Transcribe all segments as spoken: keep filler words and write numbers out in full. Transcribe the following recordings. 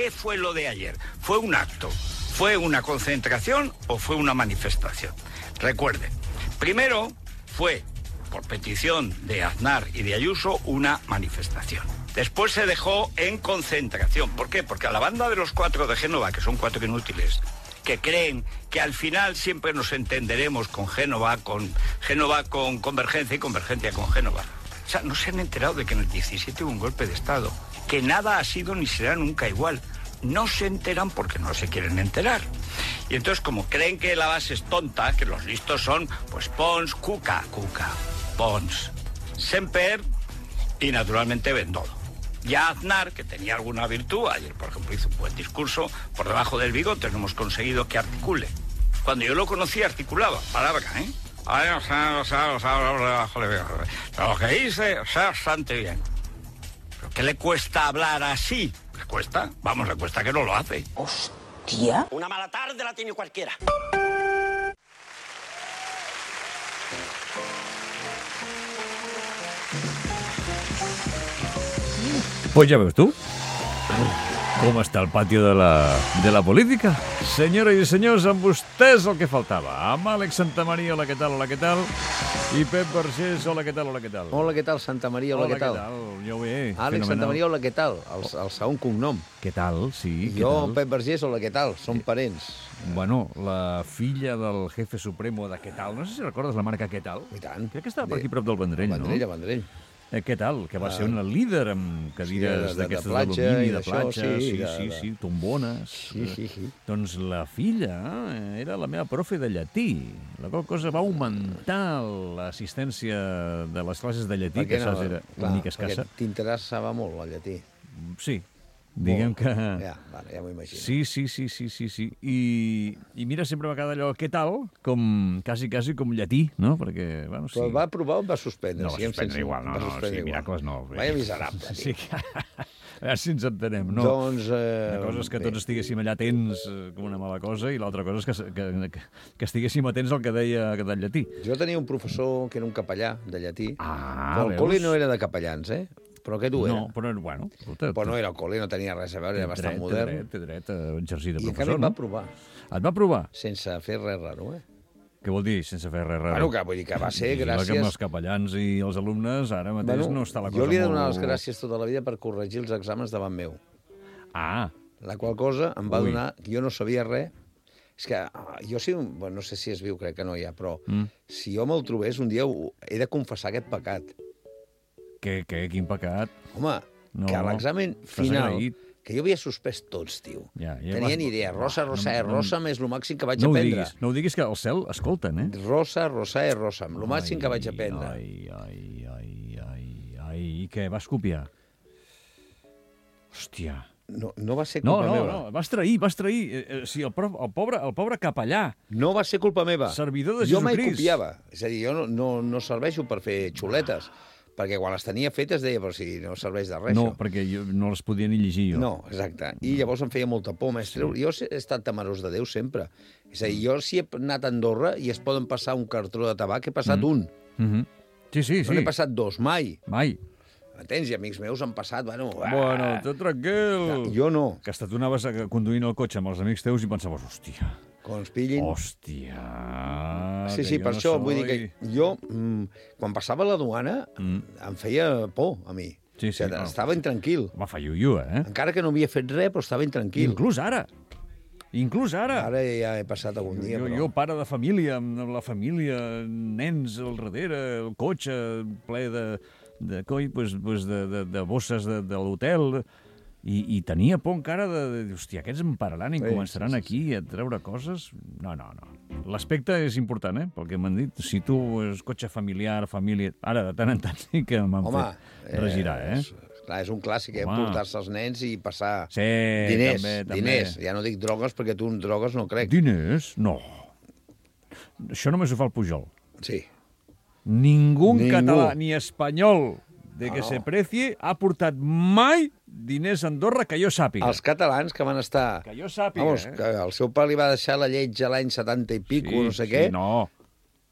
¿qué fue lo de ayer? ¿Fue un acto? ¿Fue una concentración o fue una manifestación? Recuerden, primero fue, por petición de Aznar y de Ayuso, una manifestación. Después se dejó en concentración. ¿Por qué? Porque a la banda de los cuatro de Génova, que son cuatro inútiles, que creen que al final siempre nos entenderemos con Génova, con Génova con Convergencia y Convergencia con Génova. O sea, no se han enterado de que en el diecisiete hubo un golpe de Estado, que nada ha sido ni será nunca igual. No se enteran porque no se quieren enterar. Y entonces, como creen que la base es tonta, que los listos son, pues, Pons, Cuca, Cuca, Pons, Semper y, naturalmente, Bendodo. Ya Aznar, que tenía alguna virtud, ayer, por ejemplo, hizo un buen discurso, por debajo del bigote no hemos conseguido que articule. Cuando yo lo conocí, articulaba, palabra, ¿eh? Lo que dice, o sea, bastante bien. ¿Pero qué le cuesta hablar así? ¿Le cuesta? Vamos, le cuesta que no lo hace. Hostia. Una mala tarde la tiene cualquiera. Pues ja veus tu com està el pati de la, de la política. Senyores i senyors, amb vostès el que faltava. Amb Àlex Santamaria, hola, què tal, hola, què tal? I Pep Vergés, hola, què tal, hola, què tal? Hola, què tal, Santa Maria, hola, hola què tal? Hola, què tal? Jo bé, Àlex fenomenal. Santa Maria, hola, què tal? El, el segon cognom. Què tal, sí, què Jo, tal? Pep Vergés, hola, què tal? Som parents. Bueno, la filla del jefe supremo de Què tal, no sé si recordes la marca Què tal? I tant. Crec que estava per aquí prop del Vendrell, Vendrell, no? a Vendrell. Eh, què tal? Que va ser una líder amb cadires Sí, de- de- d'aquestes de platja d'alumini, i de d'això, platja, sí, sí, de- sí, de- sí, tombones. Sí, sí, sí. Doncs la filla eh, era la meva profe de llatí. La qual cosa va augmentar l'assistència de les classes de llatí, que saps era una mica escassa. Perquè t'interessava molt el llatí. Sí, diguem que... Ja, vale, ja m'ho imagino. Sí, sí, sí, sí, sí, sí. I, I mira, sempre va quedar allò, què tal? Com, quasi, quasi com llatí, no? Perquè, bueno, sí. Però va provar o va suspendre? No, va Siguem suspendre sense- igual, no, va no, suspendre sí, igual. miracles no. Vaya miserable, Sí, tio. que... A veure si ens entenem, no? Doncs... Eh, Una cosa és que bé. tots estiguéssim allà atents eh, com una mala cosa i l'altra cosa és que, que, que, que estiguéssim atents al que deia que del llatí. Jo tenia un professor que era un capellà de llatí. Ah, però el veus? col·le no era de capellans, eh? Però aquest ho era. No, però, bueno... Escolta, Però no era el col·le, no tenia res a veure, era bastant dret, modern. Té dret, té dret a exercir de I professor, encara em no? va provar, Et va provar? sense fer res raro, eh? Què vol dir, sense fer res raro? Bueno, que vull dir que va ser Vigila gràcies... que amb els capellans i els alumnes ara mateix no està la cosa jo li he de donar molt... les gràcies tota la vida per corregir els exàmens davant meu. Ah, La qual cosa em va Ui. donar... Jo no sabia res. És que ah, jo sí... Bueno, no sé si es viu, crec que no hi ha, però Mm. si jo me'l trobés, un dia ho- he de confessar aquest pecat. què, què, quin pecat. Home, No, que a l'examen t'has final... agraït. Que jo havia suspès tots, tio. Ja, ja Tenia vas- ni idea. Rosa, Va, rosa, no- eh, no- rosa, més el màxim que vaig No ho aprendre. diguis, no ho diguis, que al cel escolten, eh? Rosa, rosa, eh, rosa, el màxim que vaig aprendre. Ai, ai, ai, ai, ai, i què, vas copiar? Hòstia. No, no va ser No, culpa no, meva. no, vas trair, vas trair. Eh, eh, sí, el, pro- el, pobre, el pobre capellà. No va ser culpa meva. Servidor de Jo mai Jesucrist. copiava. És a dir, jo no, no, no serveixo per fer xuletes, perquè quan les tenia fetes deia, però si no serveix de res, No, això. perquè jo no les podia ni llegir jo. No, exacte. I llavors em feia molta por, mestre. Sí. Jo he estat temerós de Déu sempre. És a dir, jo si he anat a Andorra i es poden passar un cartró de tabac, he passat mm. un. Mm -hmm. Sí, sí, No sí. n'he passat dos, mai. Mai. Entens? I amics meus han passat, bueno... Bueno, tot tranquil. Jo no. Que hasta tu anaves a- conduint el cotxe amb els amics teus i pensaves, hòstia, Quan ens pillin... hòstia... Sí, que sí, jo per no això soy... vull dir que jo, mm, quan passava la duana, Mm. em feia por a mi. Sí, sí, o sigui, no. estava intranquil. Va, fa iu-iu, eh? Encara que no havia fet res, però estava intranquil. Inclús ara. Inclús ara. Ara ja he passat algun dia, jo, però... jo, pare de família, amb la família, nens al darrere, el cotxe ple de, de coi, pues, pues de, de, de bosses de, de l'hotel, i, i tenia por encara de, de... Hòstia, aquests em pararan i Sí, començaran sí, sí, aquí a treure coses? No, no, no. L'aspecte és important, eh? Pel que m'han dit. Si tu és cotxe familiar, família... Ara, de tant en tant sí que m'han Home, fet regirar, eh? És, clar, és un clàssic, eh? Home. Portar-se els nens i passar Sí, diners. també, també. Diners. Ja no dic drogues, perquè tu en drogues no crec. Diners? No. Això només ho fa el Pujol. Sí. Ningú en Ningú. català ni espanyol de que No. se precie ha portat mai diners a Andorra que jo sàpiga. Els catalans que van estar... Que jo sàpiga, Vamos, eh? que el seu pare li va deixar la lletja l'any setanta i pico, no sé sí, què, No,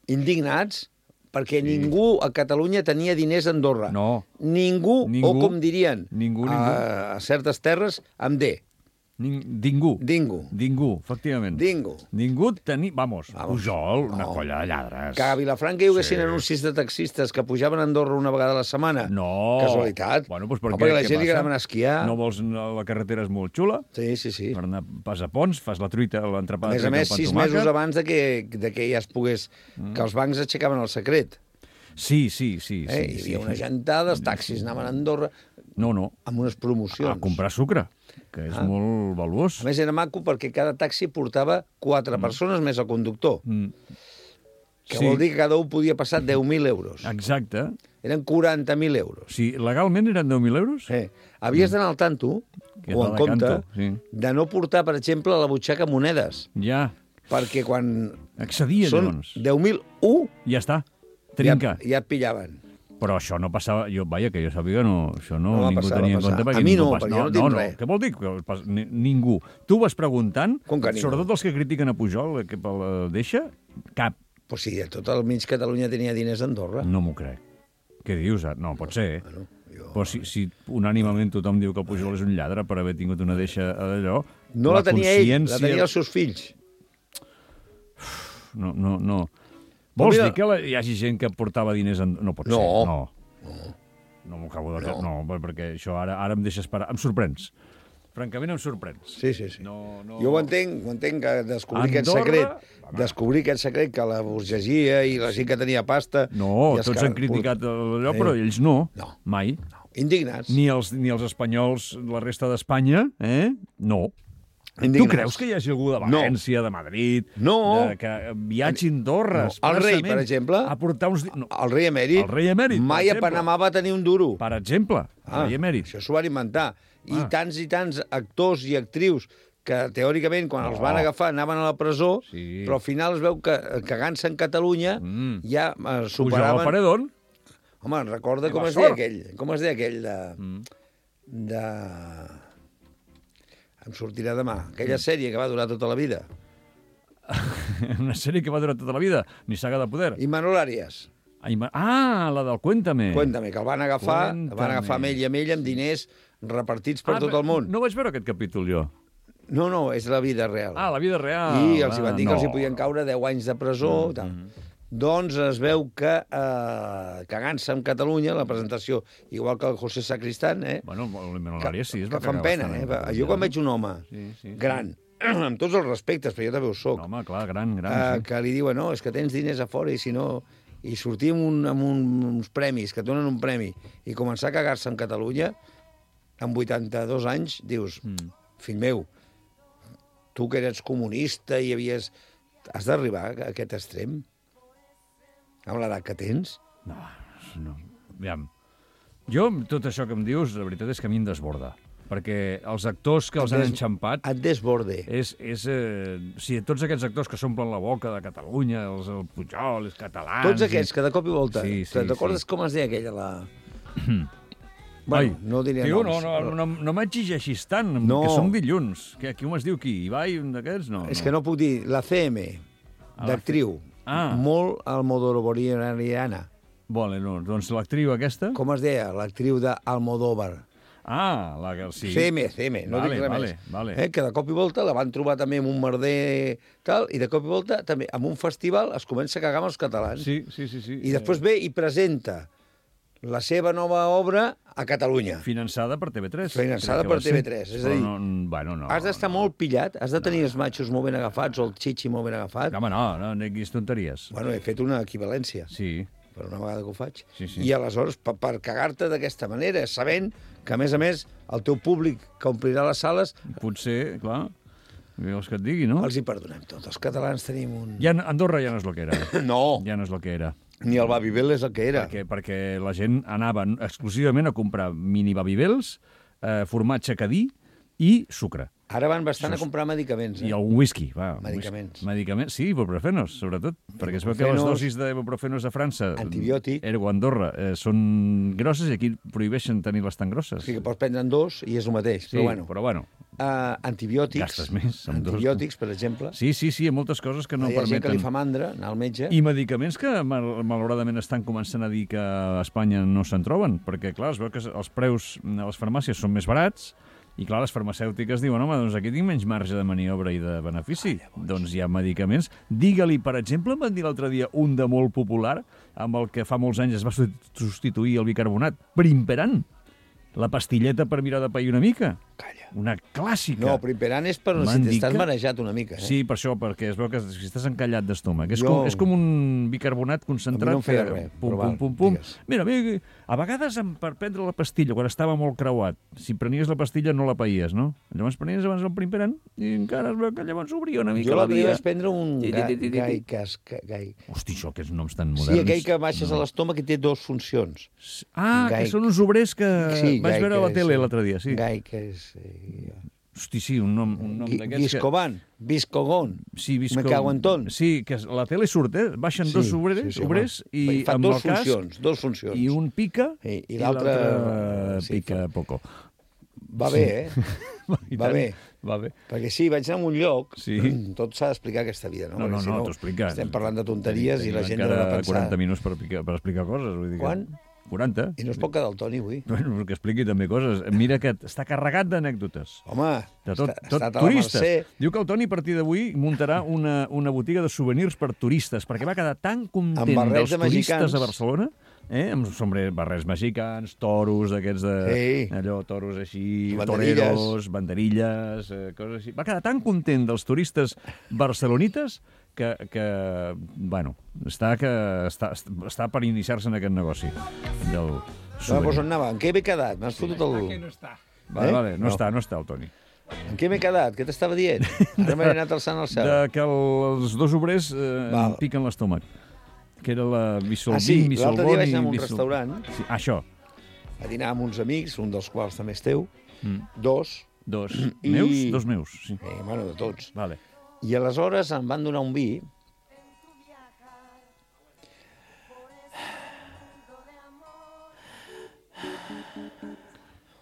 indignats perquè ningú a Catalunya tenia diners a Andorra. no. Ningú, Ningú. o com dirien, Ningú, ningú. A, a certes terres, amb D. Ning, Dingo. Dingo. Dingo, efectivament. Dingo. Ningú tenia... Vamos, Vamos. Pujol, una No. colla de lladres. Que a Vilafranca hi haguessin Sí. anuncis de taxistes que pujaven a Andorra una vegada a la setmana. No. Casualitat. Bueno, doncs per No, què? perquè a la Què gent li passa? agrada anar a esquiar. No vols... no, la carretera és molt xula. Sí, sí, sí. Per anar pas a Pons, fas la truita, A l'entrepà de més a truita més, amb sis tomàquet. mesos abans de que, de que ja es pogués... Mm. Que els bancs aixecaven el secret. Sí, sí, sí. Eh? sí, Hi havia sí. una gentada, els taxis anaven a Andorra No, no, amb unes promocions. a comprar sucre, que és Ah. molt valuós. A més, era maco perquè cada taxi portava quatre mm. persones més el conductor, Mm. que vol dir que cada un podia passar deu mil euros. Exacte. Eren quaranta mil euros. Sí, legalment eren deu mil euros? Eh, havies d'anar al tanto, Que o va en de compte, canto, sí. de no portar, per exemple, a la butxaca monedes, Ja, perquè quan accedia, són llavors. deu mil u, Ja està, ja, trinca. ja et pillaven. Però això no passava... Jo, vaja, que jo sàpiga, no, això no, No va ningú passar, tenia va en compte. passar. Perquè A mi ningú no, pas- perquè jo no tinc no, res. Què vol dir? Que pas- ni, ningú. Tu vas preguntant, Com que ningú? sobretot els que critiquen a Pujol, que pel deixa, cap. Pues sí, tot el mig Catalunya tenia diners a Andorra. No m'ho crec. Què dius? No, pot ser. Bueno, jo... Però si, si unànimament tothom diu que el Pujol és un lladre per haver tingut una deixa d'allò... No la, tenia ell, la consciència- tenia els seus fills. No, no, no. Vols mira- dir que la, hi hagi gent que portava diners... En... No pot No. ser, no. No m'ho acabo de... No. No, perquè això ara, ara em deixes parar. Em sorprens. Francament, em sorprens. Sí, sí, sí. No, no... Jo ho entenc, ho entenc, que descobrir aquest Andorra, secret, home. descobrir aquest secret que la burgesia i la gent que tenia pasta... No, i els tots que- han criticat allò, Sí. però ells no. No. Mai. No, indignats. Ni els, ni els espanyols, la resta d'Espanya, eh? No. Indignats. Tu creus que hi hagi algú de No. València, de Madrid, No. de, que viatgi a Andorra, No. El rei, per exemple, a portar uns... di- No. El rei emèrit, El rei emèrit, per mai a exemple. Panamà va tenir un duro. Per exemple, el rei emèrit. Això s'ho van inventar. I Ah. tants i tants actors i actrius que, teòricament, quan els No. van agafar, anaven a la presó, Sí. però al final es veu que, cagant-se en Catalunya, Mm. ja eh, Pujol al superaven... paredón. Home, recorda I com va es deia sort. aquell, com es deia aquell de... Mm. de... Em sortirà demà. Aquella sèrie que va durar tota la vida. Una sèrie que va durar tota la vida, ni saga de poder. I Manol Arias. Ai, ma- Ah, la del Cuéntame. Cuéntame, que el van agafar, el van Cuéntame. agafar amb ell i amb ell amb diners repartits per Ah, tot el món. No vaig veure aquest capítol, jo. No, no, és la vida real. Ah, la vida real. I els hi van dir que Ah, els hi no. podien caure deu anys de presó. Mm, tal. Doncs es veu que, eh, cagant-se en Catalunya, la presentació, igual que el José Sacristán, eh, Bueno, el Manol que, Arias sí, es que va fan cagar pena. bastant Eh? en Va- Catalunya. Jo quan veig un home Sí, sí, sí. gran, amb tots els respectes, però jo també ho soc, No, home, clar, gran, gran. eh, sí. que li diuen, no, és que tens diners a fora i si no... I sortir amb, un, amb un, uns premis, que et donen un premi, i començar a cagar-se en Catalunya, amb vuitanta-dos anys, dius, Mm. fill meu, tu que eres comunista i havies... Has d'arribar a aquest extrem? Amb l'edat que tens? No, no. Aviam. Jo, amb tot això que em dius, la veritat és que a mi em desborda. Perquè els actors que els han Et des- enxampat... Et desborde. És, és, eh, o sigui, tots aquests actors que s'omplen la boca de Catalunya, els el Pujol, els catalans... Tots aquests que de cop i volta... Sí, sí, Te'n recordes sí. com es deia aquella, la... Ai, no diria tio, noms. no, no, no, no m'exigeixis tant, No. que som dilluns. Que, qui m'es diu qui? Ibai, un d'aquests? No, És que no puc dir... La C M, Ah, la d'actriu. Ah. Molt almodorovariana. Vale, no, doncs l'actriu aquesta... Com es deia? L'actriu d'Almodóvar. Ah, la que... Sí. C M, C M, no Vale, dic res vale, més. vale. Eh, que de cop i volta la van trobar també en un merder tal, i de cop i volta també en un festival es comença a cagar amb els catalans. Sí, sí, sí. sí. I després ve i presenta la seva nova obra a Catalunya. Finançada per T V tres. Finançada crec que per va ser. T V tres, és a Però dir, No, bueno, no. Has d'estar molt pillat, has de tenir els matxos molt ben agafats o el xixi molt ben agafat. Home, no, no, no diguis tonteries. Bueno, he fet una equivalència, Sí, per una vegada que ho faig. Sí, sí. I aleshores, per, per cagar-te d'aquesta manera, sabent que, a més a més, el teu públic que omplirà les sales, potser, clar, què vols que et digui, no? els hi perdonem tot. Els catalans tenim un... Ja, Andorra ja no és el que era. No, Ja no és el que era. ni el Babybel és el que era. Perquè, perquè la gent anava exclusivament a comprar mini babybels, eh, formatge cadí i sucre. Ara van bastant Això a és- comprar medicaments. Eh? I el whisky, va. un Medicaments. Whisky. Medicaments, sí, ibuprofenos, sobretot. Perquè es veu que les Ibuprofenos, dosis d'ibuprofenos a França, antibiòtic. ergo Andorra, eh, són grosses i aquí prohibeixen tenir-les tan grosses. O sigui que pots prendre'n dos i és el mateix. Sí, però bueno, però bueno. uh, antibiòtics, Gastes més amb dos. antibiòtics, per exemple. Sí, sí, sí, hi ha moltes coses que no Hi ha gent que permeten. li fa mandra anar al metge. I medicaments que, mal, malauradament, estan començant a dir que a Espanya no se'n troben, perquè, clar, es veu que els preus a les farmàcies són més barats I clar, les farmacèutiques diuen, home, doncs aquí tinc menys marge de maniobra i de benefici. Doncs hi ha medicaments. Digue-li, per exemple, em van dir l'altre dia un de molt popular, amb el que fa molts anys es va substituir el bicarbonat, Primperan. La pastilleta per mirar de pair una mica. Calla. Una clàssica. No, Primperan és per si t'estàs marejat una mica. Eh? Sí, per això, perquè es veu que si estàs encallat d'estómac. És, Jo... com, és com un bicarbonat concentrat. A mi no em feia res, pum, però pum, val, pum, pum. digues. Mira, mira, a vegades em- per prendre la pastilla, quan estava molt creuat, si prenies la pastilla no la paies, no? Llavors prenies abans el Primperan i encara es veu que llavors obria una mica Jo la l'altre dia via. vaig prendre un Ti, ti, gai, ti, ti, ti. gai, cas, ca- gai. Hosti, això, aquests noms tan moderns. Sí, aquell que baixes a l'estómac i té dues funcions. Ah, Gai. que són uns obrers que Sí, vaig gai, veure a la que tele és- l'altre dia, sí. Gai, que és... Eh, Hosti, sí, un nom, un nom Gui- d'aquests que... Guiscovan, Viscogón. Sí, visco... Me cago en tot. Sí, que a la tele surt, eh? Baixen Sí, dos obrers, sí, sí, obrers home. i Fan amb dos el casc, funcions, dos funcions. i un pica I- i i l'altre, l'altre sí, pica poco. Va bé, eh? I Va tant, bé. Va bé. Perquè sí, vaig anar a un lloc, Sí. tot s'ha d'explicar aquesta vida, no? No, no, Perquè si no, t'ho explica. Estem parlant de tonteries i la gent encara deu de pensar... quaranta minuts per, picar, per explicar coses. Vull dir que- Quan? quaranta. I no es pot quedar el Toni avui. Bueno, que expliqui també coses. Mira que està carregat d'anècdotes. Home, De tot, està, tot estat a la turistes. Mercè. Diu que el Toni a partir d'avui muntarà una, una botiga de souvenirs per turistes, perquè va quedar tan content Amb barrets dels de turistes mexicans. a Barcelona, eh? amb sombre, barrets mexicans, toros, d'aquests de... Sí. Allò, toros així, Banderilles. toreros, banderilles, eh, coses així. Va quedar tan content dels turistes barcelonites que, que bueno, està, que està, està per iniciar-se en aquest negoci del No, souvenir. doncs on anava? En què m'he quedat? M'has fotut el... Vale, Eh? vale, no, No. està, no està el Toni. En què m'he quedat? Què t'estava dient? Ara m'he anat alçant al cel. De que el, els dos obrers eh, Val. em piquen l'estómac. Que era la Bissolvin, Ah, sí, l'altre Bissolboni... dia vaig anar a un Bissol- restaurant Sí, això. a dinar amb uns amics, un dels quals també és teu, Mm. dos, Dos. I- Meus? Dos meus, sí. eh, bueno, de tots. Vale. I aleshores em van donar un vi.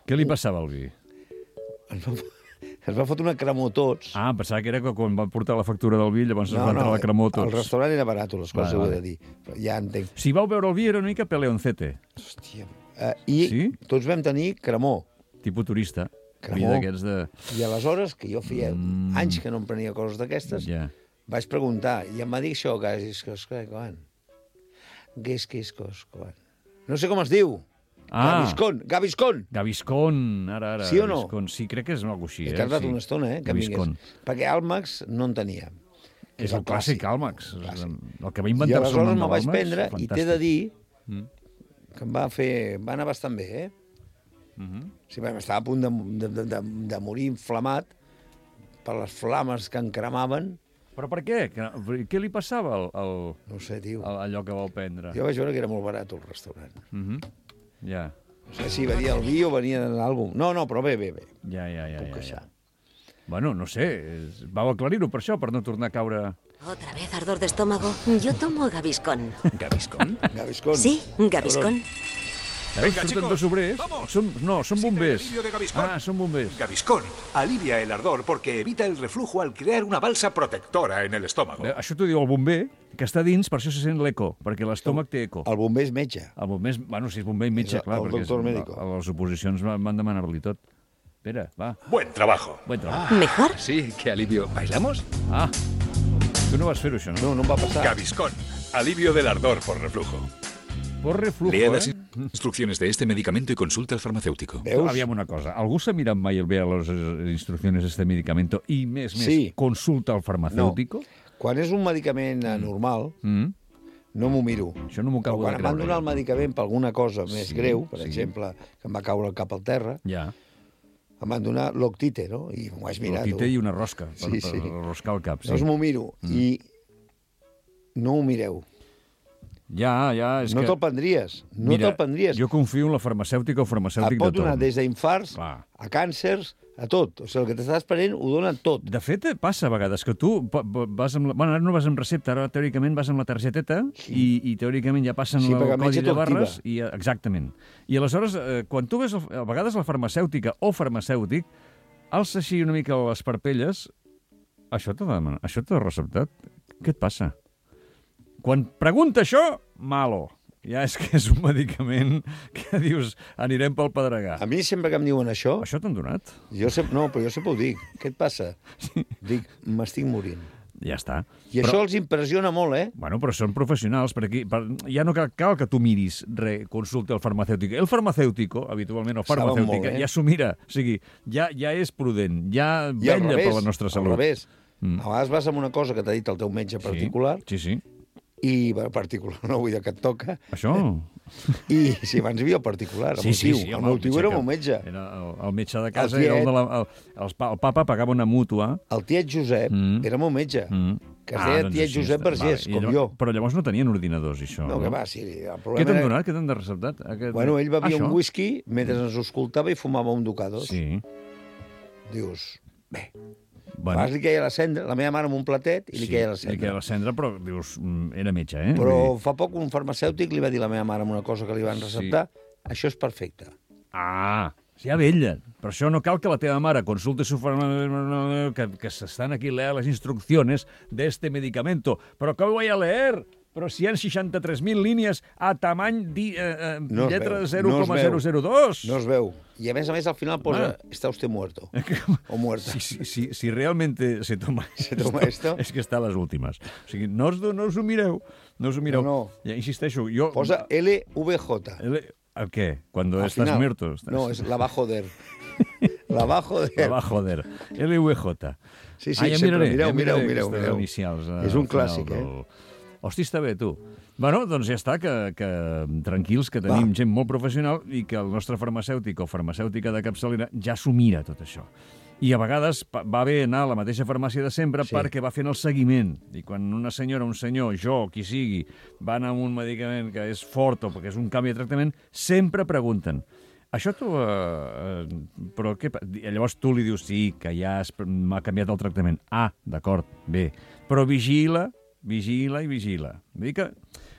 Què li passava al vi? Ens va, ens va fotre una cremor tots. Ah, pensava que era que quan van portar la factura del vi, llavors es va entrar la cremor tots. el restaurant era barat, les coses Vale, ho he vale. de dir. Però ja entenc. Si vau veure el vi era una mica peleoncete, Hòstia. Uh, I Sí? tots vam tenir cremor. tipus turista. Vi Cremor. d'aquests de... I aleshores, que jo feia Mm. anys que no em prenia coses d'aquestes, Ja. vaig preguntar, i em va dir això, que és que és que quan? Que és que és que és quan? No sé com es diu. Ah, Gaviscon, Gaviscon. Gaviscon, ara, ara. Sí o no? Gaviscon. Sí, crec que és una cosa així. He Eh? tardat sí. una estona, eh, que em Gaviscon. vingués. Perquè Almax no en tenia. És el clàssic Almax. Clàssic. El que va I inventar-se el aleshores nom me'l de vaig l'Almax, prendre i t'he de fantàstic. dir Mm. que em va fer... va anar bastant bé, eh? Mhm. Sí, vam estar a punt de, de, de, de, de morir inflamat per les flames que em cremaven. Però per què? Que- Què li passava al, al, No ho sé, tio. al, allò que vau prendre? Jo vaig veure que era molt barat el restaurant. Mhm. Ja, No sé si venia el vi o venia d'algú. No, no, però bé, bé, bé. ja, ja, ja. Puc ja, queixar. ja. Bueno, no sé, és- vau aclarir-ho per això, per no tornar a caure... ¿Otra vez ardor de estómago? Yo tomo Gaviscon. ¿Gaviscon? Gaviscon. Sí, Gaviscon. Venga, surten chicos, dos obrers. vamos. Són, no, són Existe el bombers. alivio de Gaviscon. Ah, són bombers. Gaviscon alivia el ardor porque evita el reflujo al crear una balsa protectora en el estómago. Bé, això t'ho diu el bomber, que està dins, per això se sent l'eco, perquè l'estómac té eco. El bomber és metge. El bomber, és, bueno, si és bomber i metge, És el- clar, el perquè doctor és- médico. a les oposicions van, van demanar-li tot. Espera, va, Buen trabajo. buen treball. ¿Mejor? Sí, qué alivio. ¿Bailamos? Ah, tu no vas fer-ho, això, no? No, no em va passar. Gaviscon, alivio del ardor por reflujo. Por reflujo, Lea eh? las instrucciones de este medicamento y consulta al farmacéutico. Veus? Aviam una cosa, algú s'ha mirat mai el bé a les eh, instruccions d'este medicamento i, més, més, Sí. consulta al farmacèutico? Quan és un medicament mm. normal, Mm. no m'ho miro. Això no m'ho Però acabo quan de em van creure. donar el medicament per alguna cosa més Sí, greu, per sí. exemple, que em va caure el cap al terra, Ja, em van donar l'octite, no? I m'ho vaig mirar. l'otite tu. i una rosca, per, Sí, per sí. roscar el cap. Sí. Llavors m'ho miro i no ho mireu. Ja, ja, és No que... te'l prendries. No te'l prendries. Jo confio en la farmacèutica o Et farmacèutic pot de donar torn. des d'infarts Clar. a càncers, a tot. O sigui, el que t'estàs prenent ho dona tot. De fet, eh, passa a vegades que tu pa- pa- vas amb la... Bueno, ara no vas amb recepta, ara teòricament vas amb la targeteta i, i teòricament ja passen Sí, el perquè el metge codi de t'ho activa. barres. I, eh, exactament. I aleshores, eh, quan tu ves, el, a vegades la farmacèutica o farmacèutic, alça així una mica les parpelles, això t'ha demanat, això t'ha receptat? Què et passa? Quan pregunta això, malo. ja és que és un medicament que dius, anirem pel Pedregà. A mi sempre que em diuen això... Això t'han donat? Jo sempre, no, però jo sempre ho dic. Què et passa? Sí. Dic, m'estic morint. Ja està. I però, això els impressiona molt, eh? Bueno, però són professionals, perquè per, ja no cal, cal que tu miris res, consulta el farmacèutic. El farmacèutico, habitualment, el farmacèutic, ja s'ho mira. O sigui, ja, ja és prudent, ja vetlla per la nostra salut. Al revés. Mm. A vegades vas amb una cosa que t'ha dit el teu metge particular, sí, sí, sí. i particular, no vull dir que et toca. Això... I si abans hi havia el particular, el sí, meu tio. Sí, sí, el meu tio era el meu metge. Era el, el metge de casa, el, tiet, era el, de la, el, el, el papa pagava una mútua. El tiet Josep mm. era el meu metge, mm. que es deia ah, doncs tiet Josep Vergés, vale. com llavors, jo. Però llavors no tenien ordinadors, això. No, no? que va, sí. El Què t'han donat? Què t'han de receptat? Aquest... Bueno, ell bevia això? un whisky mentre ens escoltava i fumava un ducados. Sí. Dius, bé... Bueno. Abans li queia la cendra, la meva mare amb un platet, i li sí, queia la cendra. li queia la cendra, però dius, era metge, eh? Però fa poc un farmacèutic li va dir a la meva mare amb una cosa que li van receptar, sí. Això és perfecte. Ah, ja vellen. Per això no cal que la teva mare consulte su farmacèutic, que, que s'estan aquí leer les instrucciones de este medicamento. Però com ho voy a leer? Però si hi ha seixanta-tres mil línies a tamany di, eh, eh, no lletra zero coma zero zero dos. No es veu. I a més a més al final posa, ah. está usted muerto. O muerta. Si, si, si, si realmente se toma, se toma esto, és que està a les últimes. O sigui, no us, no us ho mireu. No us ho mireu. No, no. Ja insisteixo, jo... Posa L V J. L... ¿El qué? Cuando al estás final, muerto. Estás... No, es la va joder. La va joder. La va joder. L V J. Sí, sí, ah, ja sempre. Miraré, mireu, ja mireu, mireu. mireu. Inicials, és un clàssic, eh? Del... Hosti, està bé, tu. Bueno, doncs ja està, que, que tranquils, que tenim Va. gent molt professional i que el nostre farmacèutic o farmacèutica de capçalera ja s'ho mira, tot això. I a vegades va bé anar a la mateixa farmàcia de sempre sí. perquè va fent el seguiment. I quan una senyora, un senyor, jo, qui sigui, van amb un medicament que és fort o perquè és un canvi de tractament, sempre pregunten: això tu... Eh, però què... Llavors tu li dius, sí, que ja m'ha canviat el tractament. Ah, d'acord, bé. Però vigila, vigila i vigila. Vull dir que...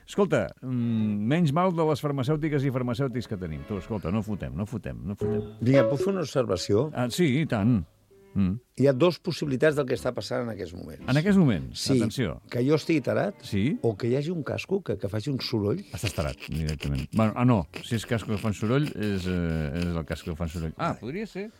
Escolta, menys mal de les farmacèutiques i farmacèutics que tenim. Tu, escolta, no fotem, no fotem, no fotem. Vinga, puc fer una observació? Ah, sí, i tant. Mm. Hi ha dues possibilitats del que està passant en aquests moments. En aquests moments? Sí, atenció. Que jo estigui tarat, sí? O que hi hagi un casco que, que faci un soroll. Estàs tarat, directament. Bueno, ah, no, si és casco que fan soroll, és, eh, és el casco que fan soroll. Ah, podria ser.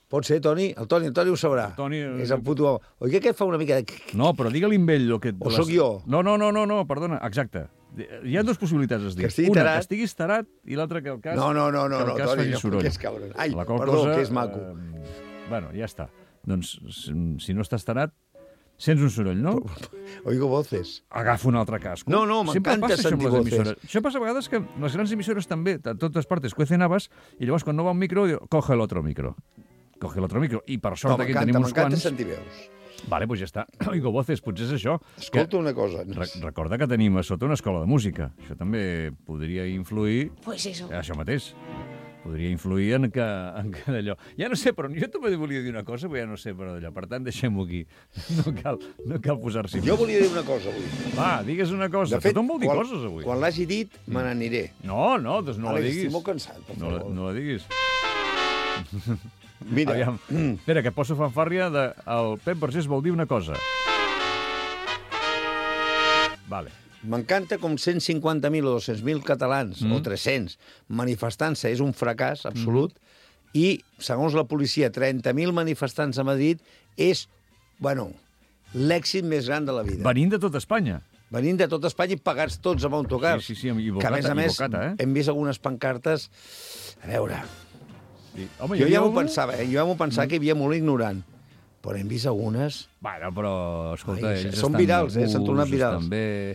Pot ser, Toni? El Toni, el Toni ho sabrà. El Toni... És el puto... Oi que aquest fa una mica de... No, però digue-li amb ell el que... O sóc jo? No, no, no, no, no, perdona, exacte. Hi ha dues possibilitats, es diu. Una, tarat. que estiguis tarat, i l'altra que el cas... No, no, no, no, que el cas no, faci no, soroll. Que és cabron. Ai, perdó, cosa, que és maco. Eh, bueno, ja està. Doncs, si no estàs tarat, sents un soroll, no? Oigo voces. Agafa un altre casco. No, no, m'encanta sentir voces. Això passa a vegades que les grans emissores també, a totes partes, cuecen habas, i llavors quan no va un micro, diu, coge el otro micro. Coge l'altre micro. I per sort no, aquí tenim uns quants... M'encanta sentir veus. Vale, doncs ja està. Oigo voces, potser és això. Escolta que... una cosa. Re recorda que tenim a sota una escola de música. Això també podria influir... Pues eso. Això mateix. Podria influir en que, en que d'allò... Ja no sé, però jo també volia dir una cosa, però ja no sé, però d'allò. Per tant, deixem-ho aquí. No cal, no cal posar-s'hi... Jo volia dir una cosa avui. Va, digues una cosa. De fet, tothom vol dir quan, coses avui. Quan l'hagi dit, me n'aniré. No, no, doncs no Àlex, la diguis. estic molt cansat, per no, favor. No la diguis. Mira. Aviam. Espera, que poso fanfàrria de... El Pep Vergés vol dir una cosa. Vale. M'encanta com cent cinquanta mil o dos-cents mil catalans, mm. o tres-cents, manifestant-se és un fracàs absolut, mm. i, segons la policia, trenta mil manifestants a Madrid és, bueno, l'èxit més gran de la vida. Venint de tot Espanya. Venint de tot Espanya i pagats tots amb autocars. Sí, sí, sí, amb Ibocata, que, a més a més, Ibocata, eh? hem vist algunes pancartes... A veure... Sí. Home, jo ja m'ho pensava, eh? jo ja m'ho pensava mm. que hi havia molt ignorant, però hem vist algunes... Bueno, però, escolta, Ai, ells són estan virals, eh? S'han tornat virals. Estan bé...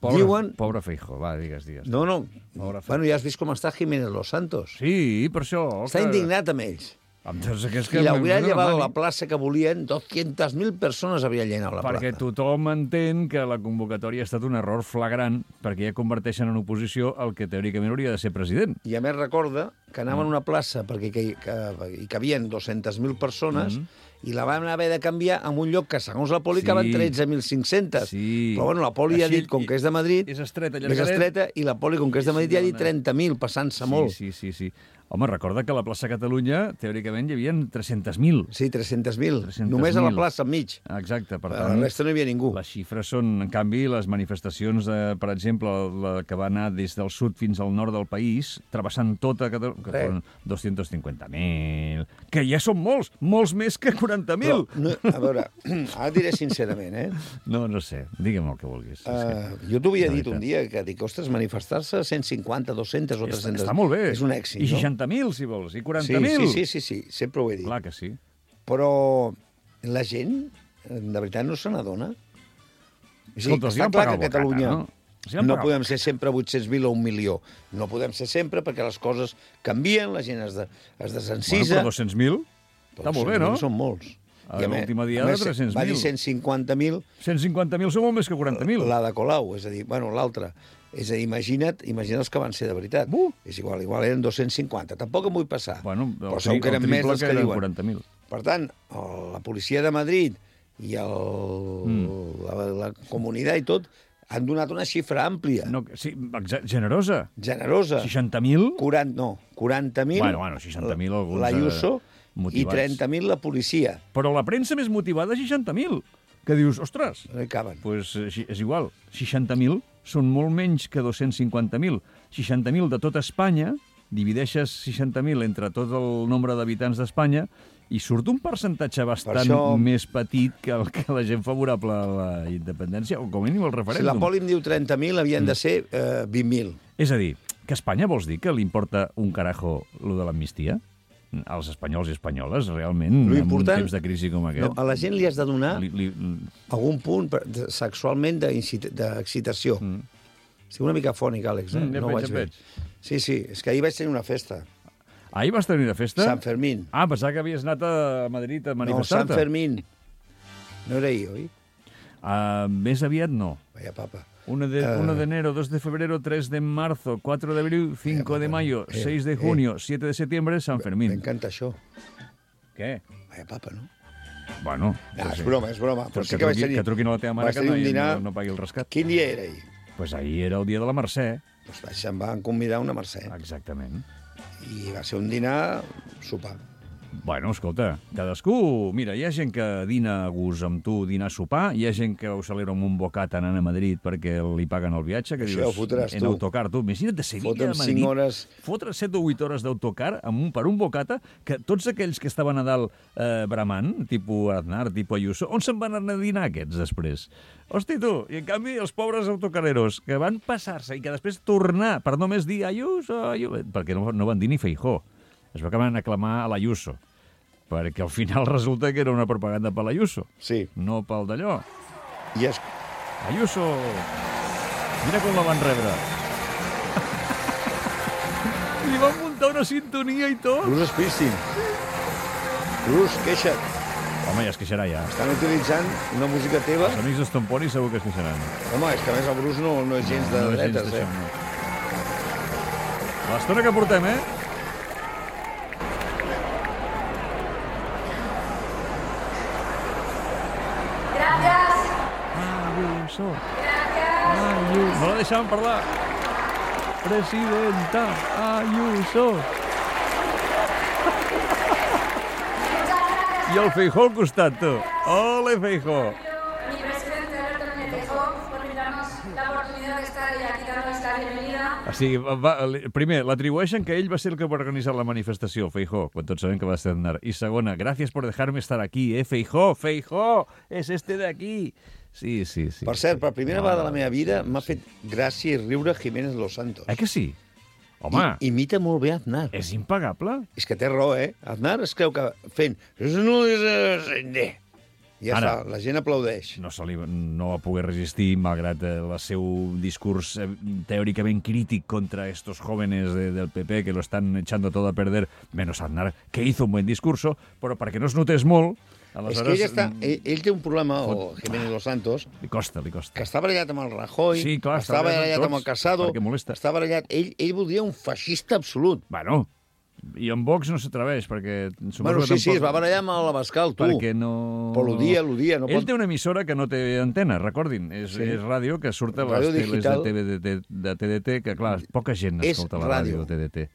Pobre, Diuen... pobre Feijóo, va, digues, digues. No, no, bueno, ja has vist com està Jiménez Los Santos. Sí, per això... Està que... indignat amb ells. Doncs que I l'hauria llevat a la plaça que volien, dues-centes mil persones havien llenat la perquè plaça. Perquè tothom entén que la convocatòria ha estat un error flagrant, perquè ja converteixen en oposició el que teòricament hauria de ser president. I a més recorda que anava en una plaça perquè que, que, hi cabien dues-centes mil persones, mm. i la vam haver de canviar en un lloc que, segons la poli, sí. caben tretze mil cinc-centes. Sí. Però, bueno, la poli Així, ha dit, com que és de Madrid, és estreta, és estreta, i la poli, com que és de Madrid, ja ha dit trenta mil, passant-se sí, molt. Sí, sí, sí. Home, recorda que a la plaça Catalunya, teòricament, hi havia tres-cents mil. Sí, tres-cents mil. Només a la plaça, enmig. Exacte. Per tant, la resta no hi havia ningú. Les xifres són, en canvi, les manifestacions, de, per exemple, la que va anar des del sud fins al nord del país, travessant tota Catalunya, que són dos-cents cinquanta mil, que ja són molts, molts més que quaranta mil. No, a veure, ara diré sincerament, eh? No, no sé, digue'm el que vulguis. Uh, jo t'ho havia dit un dia, que dic, ostres, manifestar-se cent cinquanta, dues-centes o tres-centes... Està molt bé. És un èxit, I no? seixanta mil, si vols, i quaranta mil. Sí, sí, sí, sí, sí, sempre ho he dit. Clar que sí. Però la gent, de veritat, no se n'adona. Escolta, està clar que a Catalunya no, si no podem ser sempre vuit-cents mil o un milió. No podem ser sempre perquè les coses canvien, la gent es, de, es desencisa... Bueno, però dos-cents mil està molt bé, no? Són molts. A l'última diada, tres-cents mil. Va dir cent cinquanta mil... cent cinquanta mil són molt més que quaranta mil. La de Colau, és a dir, bueno, l'altra. És a dir, imagina't, imagina't els que van ser de veritat. Uh. És igual, igual eren dos-cents cinquanta. Tampoc em vull passar. Bueno, però segur que eren més dels que, que diuen. quaranta mil. Per tant, la policia de Madrid i el, mm. la, la comunitat i tot han donat una xifra àmplia. No, sí, generosa. Generosa. seixanta mil? quaranta, no, quaranta mil. Bueno, bueno, seixanta mil alguns... L'Ayuso motivats. I trenta mil la policia. Però la premsa més motivada, seixanta mil. Que dius, ostres... No hi caben. Doncs pues, és igual. seixanta mil són molt menys que dos-cents cinquanta mil. seixanta mil de tot Espanya, divideixes seixanta mil entre tot el nombre d'habitants d'Espanya i surt un percentatge bastant per això... més petit que el que la gent favorable a la independència, o com a mínim el referèndum. Si la poli em diu trenta mil, havien mm. de ser eh, vint mil. És a dir, que a Espanya vols dir que li importa un carajo lo de l'amnistia? Als espanyols i espanyoles, realment, en un temps de crisi com aquest... No, a la gent li has de donar li, li... algun punt de, sexualment d'excitació. Mm. Estic una mica fònic, Àlex, eh? Mm, ja no veig, ho vaig fer. Sí, sí, és que ahir vaig tenir una festa. Ahir vas tenir una festa? Sant Fermín. Ah, pensava que havies anat a Madrid a manifestar-te. No, Sant Fermín. No era ahir, oi? Uh, més aviat no. Vaya papa. uno de enero, dos de febrero, tres de marzo, cuatro de abril, cinco de mayo, eh, seis de junio, eh, siete de septiembre, San Fermín. M'encanta això. Què? Vaya papa, no? Bueno... No, és broma, és broma. Però sí que, que, truqui, que truquin a la teva mare que no, dinar... no, no pagui el rescat. Quin dia era ahir? Doncs pues ahir era el dia de la Mercè. Doncs pues em van convidar a una Mercè. Exactament. I va ser un dinar sopar. Bueno, escolta, cadascú... Mira, hi ha gent que dina a gust amb tu, dinar a sopar, hi ha gent que ho celebra amb un bocat anant a Madrid perquè li paguen el viatge, que això dius, ho fotràs en tu. autocar, tu. Imagina't de Sevilla a Madrid, hores... fotre set o vuit hores d'autocar amb un, per un bocata, que tots aquells que estaven a dalt eh, bramant, tipus Aznar, tipus Ayuso, on se'n van anar a dinar aquests després? Hosti, tu, i en canvi els pobres autocareros que van passar-se i que després tornar per només dir Ayuso, Ayuso, perquè no, no van dir ni Feijóo. Es va acabar d'aclamar a l'Ayuso, perquè al final resulta que era una propaganda per l'Ayuso, sí. No pel d'allò. I es... Ayuso! Mira com la van rebre. Li van muntar una sintonia i tot. Bruce Springsteen. Bruce, queixa't. Home, ja es queixarà, ja. Estan utilitzant una música teva. Els amics d'Estomponi segur que es queixaran. Home, és que a més el Bruce no, no és gens de no, no dretes, gens eh? No. L'estona que portem, eh? Ayuso. Ayuso. No la deixaven parlar. Presidenta Ayuso. I el Feijóo al costat, tu. Ole, Feijóo. Mi presidente Alberto Núñez Feijóo, por brindarnos la oportunidad de estar aquí dándonos la bienvenida. O sigui, va, primer, l'atribueixen que ell va ser el que va organitzar la manifestació, Feijóo, quan tots sabem que va ser Aznar. I segona, gràcies por dejarme estar aquí, eh, Feijóo, Feijóo, és este de aquí. Sí, sí, sí. Per cert, per primera vegada de la meva vida m'ha fet gràcia i riure Jiménez Los Santos. Eh que sí? Home... I, imita molt bé Aznar. És impagable. És que té raó, eh? Aznar es creu que fent... No és... Ja Ara, està, la gent aplaudeix. No, se li, no va poder resistir, malgrat el seu discurs eh, teòricament crític contra estos jóvenes de, del P P que lo están echando todo a perder, menos Aznar, que hizo un buen discurso, però perquè no es notés molt... Aleshores, és que ell, està, ell, ell té un problema, o Jiménez Los Santos... Li costa, li costa. Que està barallat amb el Rajoy, sí, clar, està barallat amb el Casado, està barallat... Ell, ell voldria un feixista absolut. Bueno, I en Vox no s'atreveix, perquè... Bueno, sí, tampoc... sí, es va barallar amb l'Abascal, tu. Perquè no... Però l'odia, l'odia. No Ell pot... té una emissora que no té antena, recordin. És, sí. és ràdio, que surt a les teles de, T V D, de T D T, que, clar, poca gent escolta la ràdio de T D T.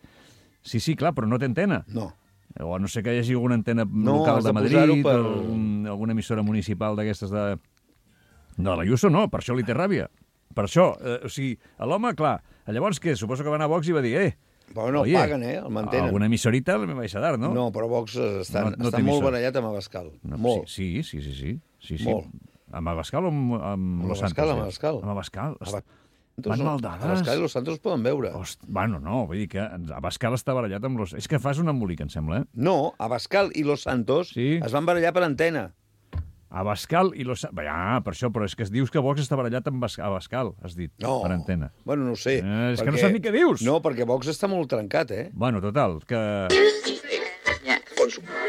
Sí, sí, clar, però no té antena. No. O a no sé que hi hagi alguna antena no, local de, de Madrid, per... o un, alguna emissora municipal d'aquestes de... No, l'Ayuso no, per això li té ràbia. Per això, eh, o sigui, l'home, clar, llavors què? Suposo que va anar a Vox i va dir, eh, però no oye, paguen, eh? El mantenen. Alguna emissorita me vaig a dar, no? No, però Vox està, no, no està molt barallat amb Abascal. No, molt. Sí, sí, sí, sí. sí, sí. Molt. Amb Abascal o amb, amb Los Santos? Amb Abascal. Amb Abascal. Abascal. Van maldades. Abascal i Los Santos poden veure. Host, bueno, no, vull dir que Abascal està barallat amb Los... És que fas un embolic, em sembla, eh? No, Abascal i Los Santos sí. es van barallar per antena. Abascal i Los... Ja, per això, però és que es dius que Vox està barallat amb Abascal, has dit, no. per antena. Bueno, no ho sé. Eh, és perquè... que no saps ni què dius. No, perquè Vox està molt trencat, eh? Bueno, total, que...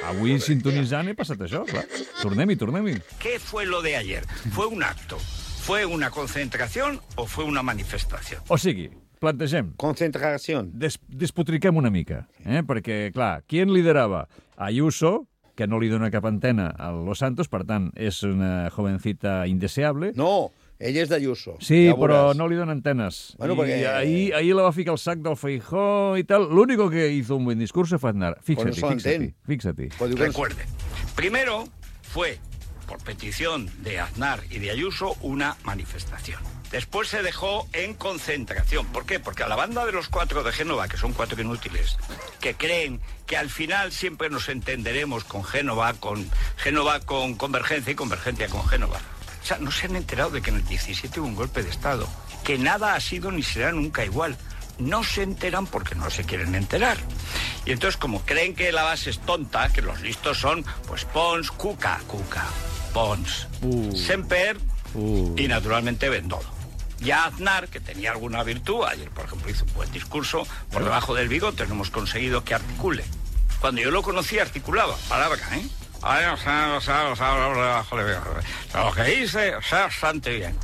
Avui sintonitzant he passat això, clar. Tornem-hi, tornem-hi. ¿Qué fue lo de ayer? ¿Fue un acto? ¿Fue una concentración o fue una manifestación? O sigui, plantegem... Concentració. Des despotriquem una mica, eh? Perquè, clar, qui en liderava? Ayuso, que no li dona cap antena a Los Santos, per tant, és una jovencita indeseable. No, ella és d'Ayuso. Sí, ja però no li dona antenes. Bueno, I perquè... ahí, ahí la va ficar el sac del Feijóo y tal. Lo único que hizo un buen discurso fue Aznar. Fíjate, no fíjate, fíjate. Recuerde, primero fue, por petición de Aznar y de Ayuso, una manifestación. Después se dejó en concentración. ¿Por qué? Porque a la banda de los cuatro de Génova, que son cuatro inútiles, que creen que al final siempre nos entenderemos con Génova, con Génova con Convergencia y Convergencia con Génova. O sea, no se han enterado de que en el diecisiete hubo un golpe de Estado, que nada ha sido ni será nunca igual. No se enteran porque no se quieren enterar. Y entonces, como creen que la base es tonta, que los listos son, pues Pons, Cuca, Cuca, Pons, uh. Semper uh. y naturalmente Bendodo. Ya Aznar, que tenía alguna virtud, ayer por ejemplo hizo un buen discurso, por debajo del bigote no hemos conseguido que articule. Cuando yo lo conocí articulaba, palabra, ¿eh? Lo que dice, o sea, bastante bien.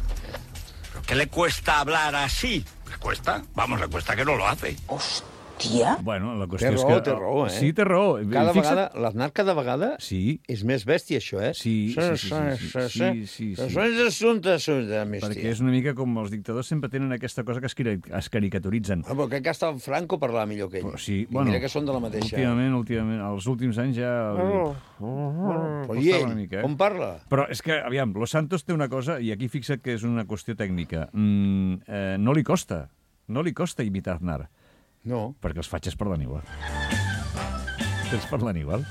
¿Pero qué le cuesta hablar así? ¿Le cuesta? Vamos, le cuesta que no lo hace. Hostia. Bueno, la qüestió té és raó, que... Té raó, eh? Sí, té raó. Cada vegada, l'Aznar cada vegada sí. és més bèstia, això, eh? Sí, sí, sí. sí, sí, sí, sí. Són assumptes, assumptes, perquè és una mica com els dictadors sempre tenen aquesta cosa que es, es caricaturitzen. Ah, però crec que hasta Franco parlava millor que ell. Sí, I bueno, mira que són de la mateixa. Últimament, últimament, els últims anys ja... Oh. Oh. Però i ell, mica, eh? Com parla? Però és que, aviam, Los Santos té una cosa, i aquí fixa't que és una qüestió tècnica. Mm, eh, no li costa, no li costa imitar Aznar. No. Perquè els fatxes parlen igual. Els parlen igual.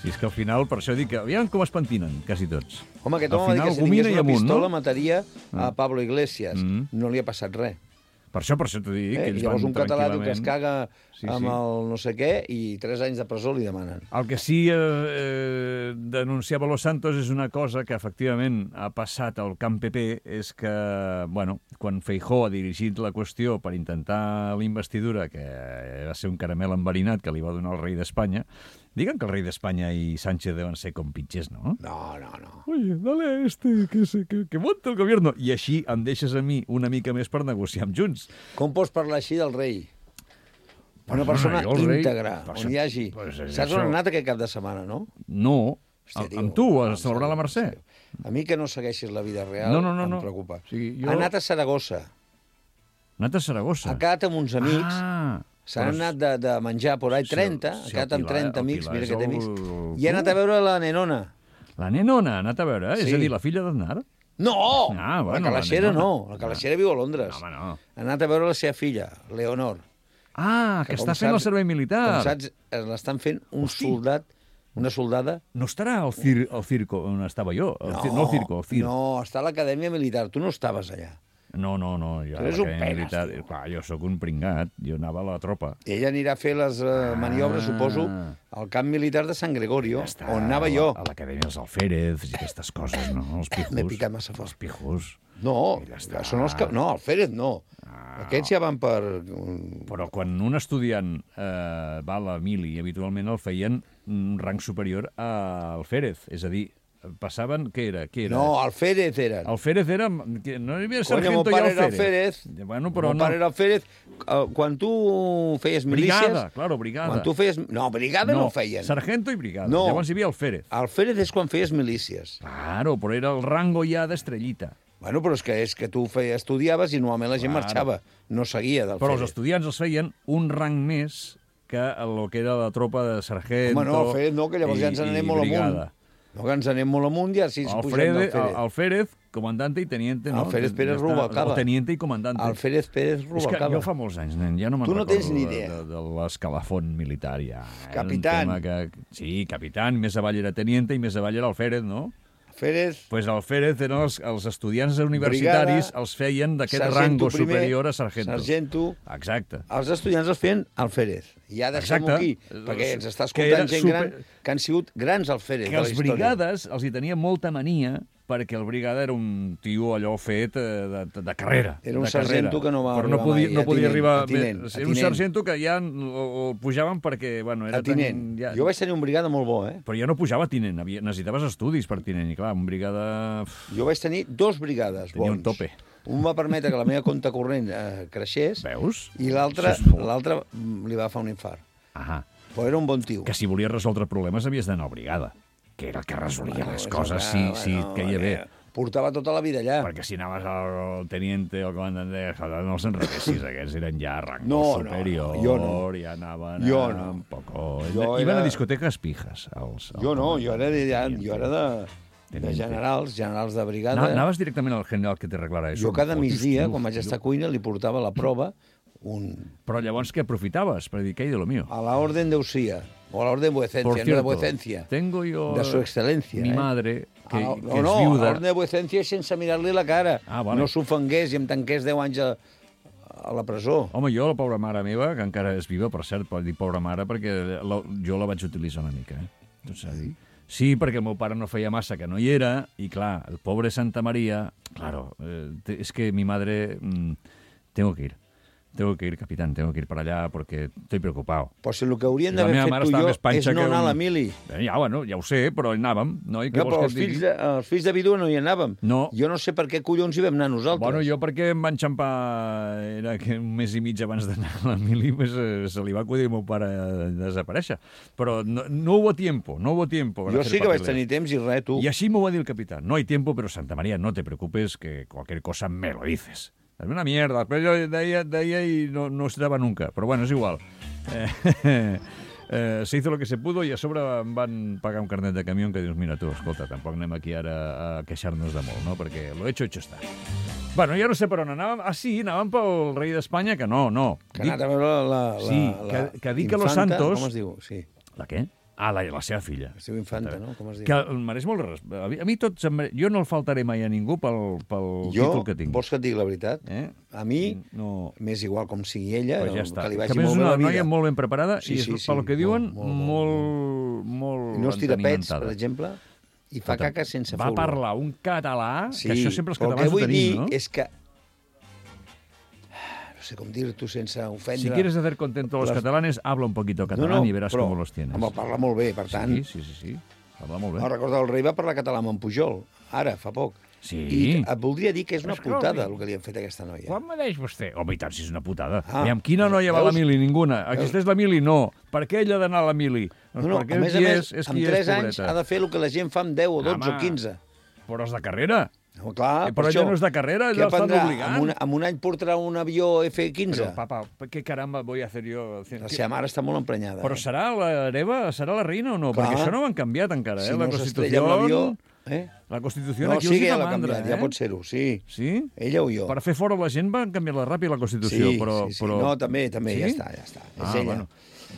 Si és que al final, per això dic que aviam com es pentinen, quasi tots. Home, aquest home va dir que si tingués una amunt, pistola no? mataria a Pablo Iglesias. Mm. No li ha passat res. Per això, per això t'ho dic, eh? que ells llavors van un català tranquil·lament... que es caga sí, amb sí. el no sé què i tres anys de presó li demanen. El que sí eh, eh, denunciava Los Santos és una cosa que efectivament ha passat al camp P P, és que, bueno, quan Feijóo ha dirigit la qüestió per intentar la investidura, que va ser un caramel enverinat que li va donar el rei d'Espanya, digan que el rei d'Espanya i Sánchez deuen ser compitxers, no? No, no, no. Oye, dale a este, que, se, que, que monte el gobierno. I així em deixes a mi una mica més per negociar amb Junts. Com pots parlar així del rei? Una persona íntegra, on hi hagi... Pues saps on ha anat aquest cap de setmana, no? No, Hòstia, tio, amb tu, a celebrar la Mercè. A mi que no segueixis la vida real no, no, no, em no. preocupa. Sí, jo... Ha anat a Saragossa. Ha anat a Saragossa? Ha quedat amb uns amics... Ah... S'han anat de, de menjar por ahí trenta, si, si ha quedat amb trenta amics, mira que té amics, el... i ha anat a veure la nenona. La nenona ha anat a veure? Sí. És a dir, la filla d'Aznar? No! Ah, bueno, la calaixera la no, la calaixera ah. viu a Londres. No, home, no. Ha anat a veure la seva filla, Leonor. Ah, que, que està fent saps, el servei militar. Com saps, l'estan fent un Hosti. soldat, una soldada... No estarà al, cir al circo on estava jo? El no, cir no al circo, al circo. No, està a l'acadèmia militar, tu no estaves allà. No, no, no, jo, tu un penes, clar, jo sóc un pringat, jo anava a la tropa. Ella anirà a fer les uh, maniobres, ah. suposo, al camp militar de San Gregorio, ja on anava jo. A l'acadèmia dels Alférez i aquestes coses, no? Els pijos. M'he picat massa fort. Els pijos. No, ja són els que... No, Alférez no. Ah, Aquests ja van per... Però quan un estudiant eh, va a la mili, habitualment el feien un rang superior a Alférez, és a dir, passaven... Què era? Què era? No, Alférez eren. Alférez era... que no hi havia Coño, sargento mon i pare era Alférez. Alférez. Bueno, però Mon no. pare era Alférez. Uh, quan tu feies milícies... Brigada, claro, brigada. Quan tu feies... No, brigada no, No, no feien. sargento i brigada. No. Llavors hi havia Alférez. Alférez és quan feies milícies. Claro, però era el rango ja d'estrellita. Bueno, però és que és que tu feies, estudiaves i normalment la gent Claro. marxava. No seguia d'Alférez. Però els estudiants els feien un rang més que el que era la tropa de sargento... Home, no, Alférez no, que llavors i, ja ens n'anem i molt brigada. amunt. No, que ens anem molt amunt i així pugem Alférez, d'Alférez. Alférez, comandante i teniente, no? Alférez Pérez Ja està. Rubalcaba. O teniente i comandante. Alférez Pérez És que Rubalcaba. jo fa molts anys, nen, ja no me'n Tu no recordo tens ni de- idea. de, de l'escalafon militar, ja. Era un Capitán. tema Que... Sí, capitán, més avall era teniente i més avall era Alférez, no? Alférez, Pues Alférez eren els, els estudiants universitaris, Brigada, els feien d'aquest sargento rango primer, superior a sargento. sargento. Exacte. Els estudiants els feien Alférez. I ja deixem-ho Exacte. aquí, perquè ens està Que era escoltant gent super- gran que han sigut grans Alférez Que de la els història. brigades els hi tenia molta mania perquè el brigada era un tio allò fet eh, de, de, de carrera. Era un de carrera. sargento que no va Però no arribar podia, mai, no a podia tinent, arribar... a tinent, bé, a era un tinent. sargento que ja el, el pujaven perquè... Bueno, era A tinent. Tan, ja... Jo vaig tenir un brigada molt bo, eh? Però ja no pujava a tinent, havia, necessitaves estudis per tinent, i clar, un brigada... Jo vaig tenir dos brigades Tenia bons. un tope. Un va permetre que la meva compte corrent eh, creixés Veus? i l'altre Això és molt. l'altre mm, li va fer un infart. Ahà. Però era un bon tio. Que si volies resoldre problemes havies d'anar a brigada, que era el que resolia Bueno, les és coses, que, sí, bueno, sí, que hi havia. eh, Portava tota la vida allà. Perquè si anaves al teniente o al comandant de Jada, no els enrequessis, aquests eren ja rango No, no, superior, no, jo no. ja anaven Jo a no. un poco... Jo Iban era- a discoteques pijas. Els, els Jo no, jo era de, comandants, jo era de, de Teniente. generals, generals de brigada. Ana- Anaves directament al general que te arreglara això. Jo cada Fotis, migdia, tio, quan vaig tio. estar a cuina, li portava la prova un, Però llavors què aprofitaves? Per dir, què hi de lo mío? a la orden de Usía, o a la orden de vuecencia, Por no de cierto, vuecencia, tengo yo... de su excelencia. Mi eh? madre, que, Ah, que no, és no, a viuda... l'ordre de vuecencia sense mirar-li la cara. Ah, vale. No s'ofengués i em tanqués deu anys a, a la presó. Home, jo, la pobra mare meva, que encara és viva, per cert, pot dir pobra mare, perquè la, jo la vaig utilitzar una mica, eh? Tot s'ha de dir. Sí, perquè el meu pare no feia massa que no hi era, i clar, el pobre Santa Maria... Claro, eh, te- es que mi madre... Mm, tengo que ir. Tengo que ir, capitán, tengo que ir para allá porque estoy preocupado. Pues el que haurien La d'haver meva fet mare tu i estava jo més panxa és no que anar a un- la mili. Eh, Ja, bueno, ja ho sé, però hi anàvem, no? I què No, vols però que els et digui? fills, de, els fills de vídua no hi anàvem. No. Jo no sé per què collons hi vam anar nosaltres. Bueno, jo perquè em van enxampar... Era que un mes i mig abans d'anar a la mili pues, eh, se li va acudir al meu pare a desaparèixer. Però no, no hubo tiempo, no hubo tiempo. para Jo hacer sí que vaig papeles. tenir temps i res, tu. Y así me va a decir el capitán. No hay tiempo, pero Santa María, no te preocupes, que cualquier cosa me lo dices. Es una mierda. Després jo deia, deia i no, no es dava nunca. Però bueno, és igual. Eh, eh, se hizo lo que se pudo i a sobre em van pagar un carnet de camió que dius, mira tu, escolta, tampoc anem aquí ara a queixar-nos de molt, no? Perquè lo hecho, hecho está. Bueno, ja no sé per on anàvem. Ah, sí, anàvem pel rei d'Espanya, que no, no. Que ha anat a veure la, la, Sí, la que- que dic que los infanta, Santos- Com es diu? Sí, La què? Ah, la, la seva filla. es diu infanta, no? Com es diu? Que em mereix molt res. A mi, a mi tot se'm mere- jo no el faltaré mai a ningú pel, pel Jo, títol que tinc. vols que et digui la veritat? Eh? A mi, No... m'és igual com sigui ella, Pues ja està. que li Que vagi a més molt és bé una la vida. noia molt ben preparada Sí, i és, sí, sí, pel que diuen, molt, molt, molt, molt, I no es tira pets, entenimentada. per exemple, i fa caca sense Va fer-ho. parlar un català, Sí, que això sempre els però el catalans que ho vull tenim, dir no? és que... No sé com dir-t'ho sense ofendre... Si quieres hacer contento a los Les- catalanes, habla un poquito catalán y verás cómo los tienes. Home, parla molt bé, per tant... Sí, sí, sí, sí. Parla molt bé. No, recordo, el rei va parlar català amb en Pujol, ara, fa poc. Sí. I et voldria dir que és una Escolti. putada el que li han fet a aquesta noia. Quan me deix vostè? Home, i tant, si és una putada. Ah, I amb quina noia va a la veus? mili? Ninguna. Existeix la mili? No. Per què ella ha d'anar a la mili? Doncs No, no, perquè a més a qui més, és, és amb qui tres és, anys pobreta. ha de fer el que la gent fa amb deu o dotze Home. o quinze. Però és de carrera. No, clar, Eh, per però això, ella no és de carrera, què ella l'estan aprendrà? obligant. Amb un, amb un any portarà un avió F quinze. Però, papa, què caramba voy a hacer yo? La seva mare està molt emprenyada. Però eh? serà l'hereva, serà la reina o no? Clar. Perquè això no ho han canviat encara, eh? Si la no s'estrella Constitució... amb l'avió... Eh? La Constitució No, aquí sí els que hi ja fa l'ha mandra, canviat, eh? ja pot ser-ho, sí. Sí? Ella o jo. Per fer fora la gent van canviar-la ràpid, la Constitució, Sí, però... sí, sí. però... No, també, també, Sí? ja està, ja està. És Ah, ella. bueno.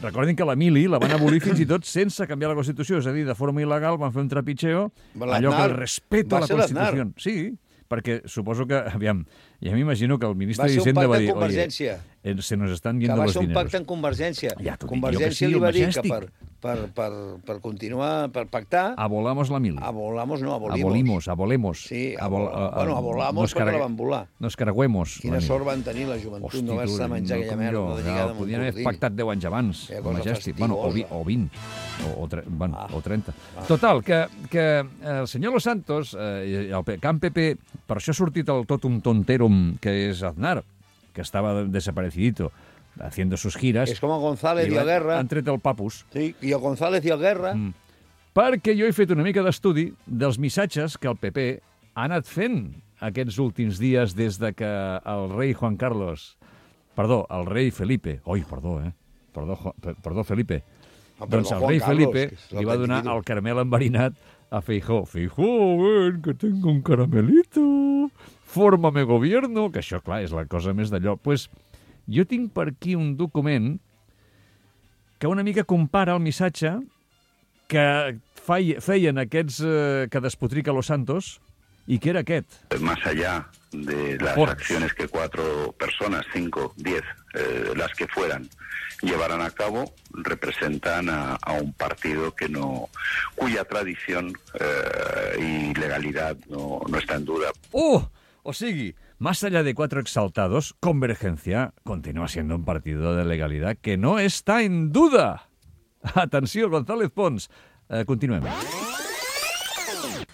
Recordin que la mili la van abolir fins i tot sense canviar la Constitució, és a dir, de forma il·legal van fer un trapitxeo, L'Aznar allò que el respeto va a la ser l'Aznar. Constitució. Sí, perquè suposo que, aviam, Ja m'imagino que el ministre Va ser un d'Hisenda va pacte dir, en Convergència. oye, se nos están Que yendo va los ser un dineros. pacte en Convergència. Ja t'ho dic jo que Convergència sí, li va el dir que Majestic. per, per, per, per continuar, per pactar... Abolamos la mili. Abolamos, no, abolimos. Abolimos, abolemos. Sí, Abol, abol, bueno, abolamos nos perquè cargue- la van volar. Nos caragüemos. Quina sort van tenir la joventut, Hosti, no vas tu, a menjar no aquella com merda jo. de Ja, lligada amb un podien haver cordill. pactat deu anys abans, Quina el cosa Majestic. Bueno, o, vi, fastigosa. o vint, o, o, tre, bueno, Ah. o trenta. Total, que, que el senyor Los Santos, eh, el P- Camp P P, per això ha sortit el totum tonterum que és Aznar, que estava desaparecidito, haciendo sus giras. És com el González i, i el Guerra. han tret el papus. Sí, i el González i el Guerra. Mm. Perquè jo he fet una mica d'estudi dels missatges que el P P ha anat fent aquests últims dies des de que el rei Juan Carlos... Perdó, el rei Felipe... Oi, perdó, eh? Perdó, Jo- per- perdó Felipe. Ah, perdó, doncs el Juan rei Carlos, Felipe que és li va donar l'autentiquito. el caramel enverinat a Feijó. Feijó, ven, que tengo un caramelito. Fórmame gobierno. Que això, clar, és la cosa més d'allò. Pues jo tinc per aquí un document que una mica compara el missatge que fei- feien aquests eh, que despotrica Los Santos i que era aquest. Más allá de las Por- acciones que cuatro personas, cinco, diez, eh, las que fueran, llevaran a cabo, representan a, a un partido que no, cuya tradición eh, y legalidad no, no está en duda. ¡Uh! O sigui, más allá de cuatro exaltados, Convergencia continúa siendo un partido de legalidad que no está en duda. Atenció, González Pons. Eh, continuem.